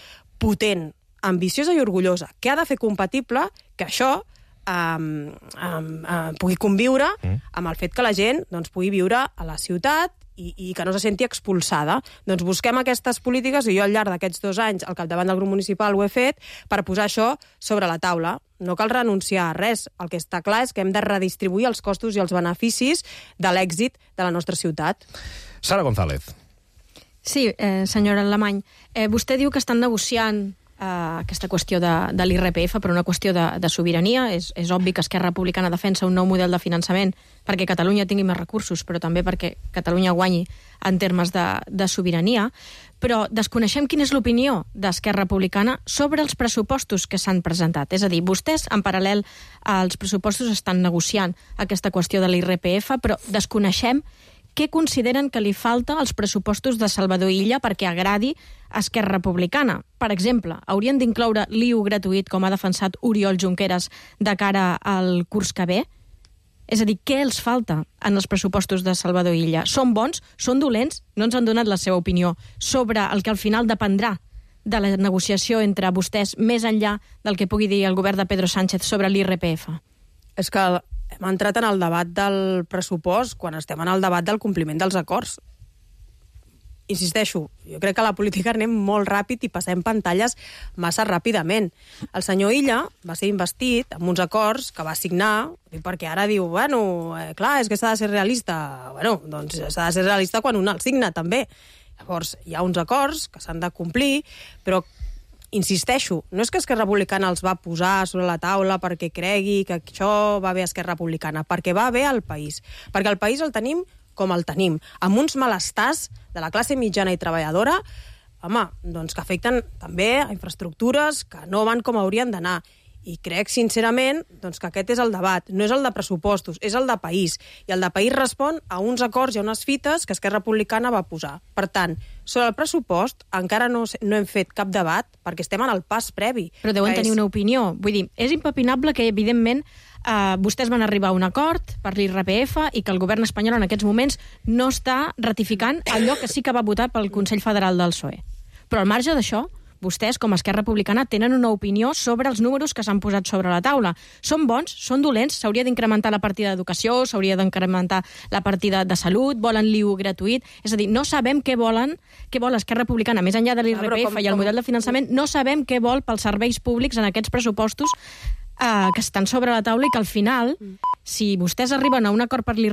potent, ambiciosa i orgullosa, que ha de fer compatible que això um, um, uh, pugui conviure mm. amb el fet que la gent doncs, pugui viure a la ciutat i, i que no se senti expulsada. Doncs busquem aquestes polítiques, i jo al llarg d'aquests dos anys al capdavant del grup municipal ho he fet, per posar això sobre la taula. No cal renunciar a res. El que està clar és que hem de redistribuir els costos i els beneficis de l'èxit de la nostra ciutat. Sara González. Sí, eh, senyora Alemany, eh, vostè diu que estan negociant eh, aquesta qüestió de, de l'I R P F per una qüestió de, de sobirania. És, és obvi que Esquerra Republicana defensa un nou model de finançament perquè Catalunya tingui més recursos, però també perquè Catalunya guanyi en termes de, de sobirania. Però desconeixem quina és l'opinió d'Esquerra Republicana sobre els pressupostos que s'han presentat. És a dir, vostès, en paral·lel als pressupostos, estan negociant aquesta qüestió de l'I R P F, però desconeixem què consideren que li falta als pressupostos de Salvador Illa perquè agradi a Esquerra Republicana. Per exemple, haurien d'incloure l'I U gratuït, com ha defensat Oriol Junqueras, de cara al curs que ve? És a dir, què els falta en els pressupostos de Salvador Illa? Són bons? Són dolents? No ens han donat la seva opinió sobre el que al final dependrà de la negociació entre vostès més enllà del que pugui dir el govern de Pedro Sánchez sobre l'I R P F. És que hem entrat en el debat del pressupost quan estem en el debat del compliment dels acords. Insisteixo, jo crec que a la política anem molt ràpid i passem pantalles massa ràpidament. El senyor Illa va ser investit amb uns acords que va signar, perquè ara diu, bueno, eh, clar, és que s'ha de ser realista. Bueno, doncs s'ha de ser realista quan un el signa, també. Llavors, hi ha uns acords que s'han de complir, però insisteixo, no és que Esquerra Republicana els va posar sobre la taula perquè cregui que això va bé a Esquerra Republicana, perquè va bé al país. Perquè el país el tenim com el tenim, amb uns malestars de la classe mitjana i treballadora, home, doncs que afecten també a infraestructures que no van com haurien d'anar. I crec, sincerament, doncs, que aquest és el debat. No és el de pressupostos, és el de país. I el de país respon a uns acords i a unes fites que Esquerra Republicana va posar. Per tant, sobre el pressupost encara no, no hem fet cap debat perquè estem en el pas previ. Però deuen tenir és... una opinió. Vull dir, és impepinable que, evidentment, eh, vostès van arribar a un acord per l'I R P F i que el govern espanyol en aquests moments no està ratificant allò que sí que va votar pel Consell Federal del P S O E. Però al marge d'això, vostès, com a Esquerra Republicana, tenen una opinió sobre els números que s'han posat sobre la taula. Són bons? Són dolents? S'hauria d'incrementar la partida d'educació? S'hauria d'incrementar la partida de salut? Volen l'I U gratuït? És a dir, no sabem què volen, què vol Esquerra Republicana, més enllà de l'I R P F i el model de finançament, no sabem què vol pels serveis públics en aquests pressupostos eh, que estan sobre la taula i que al final, si vostès arriben a un acord per l'I R P F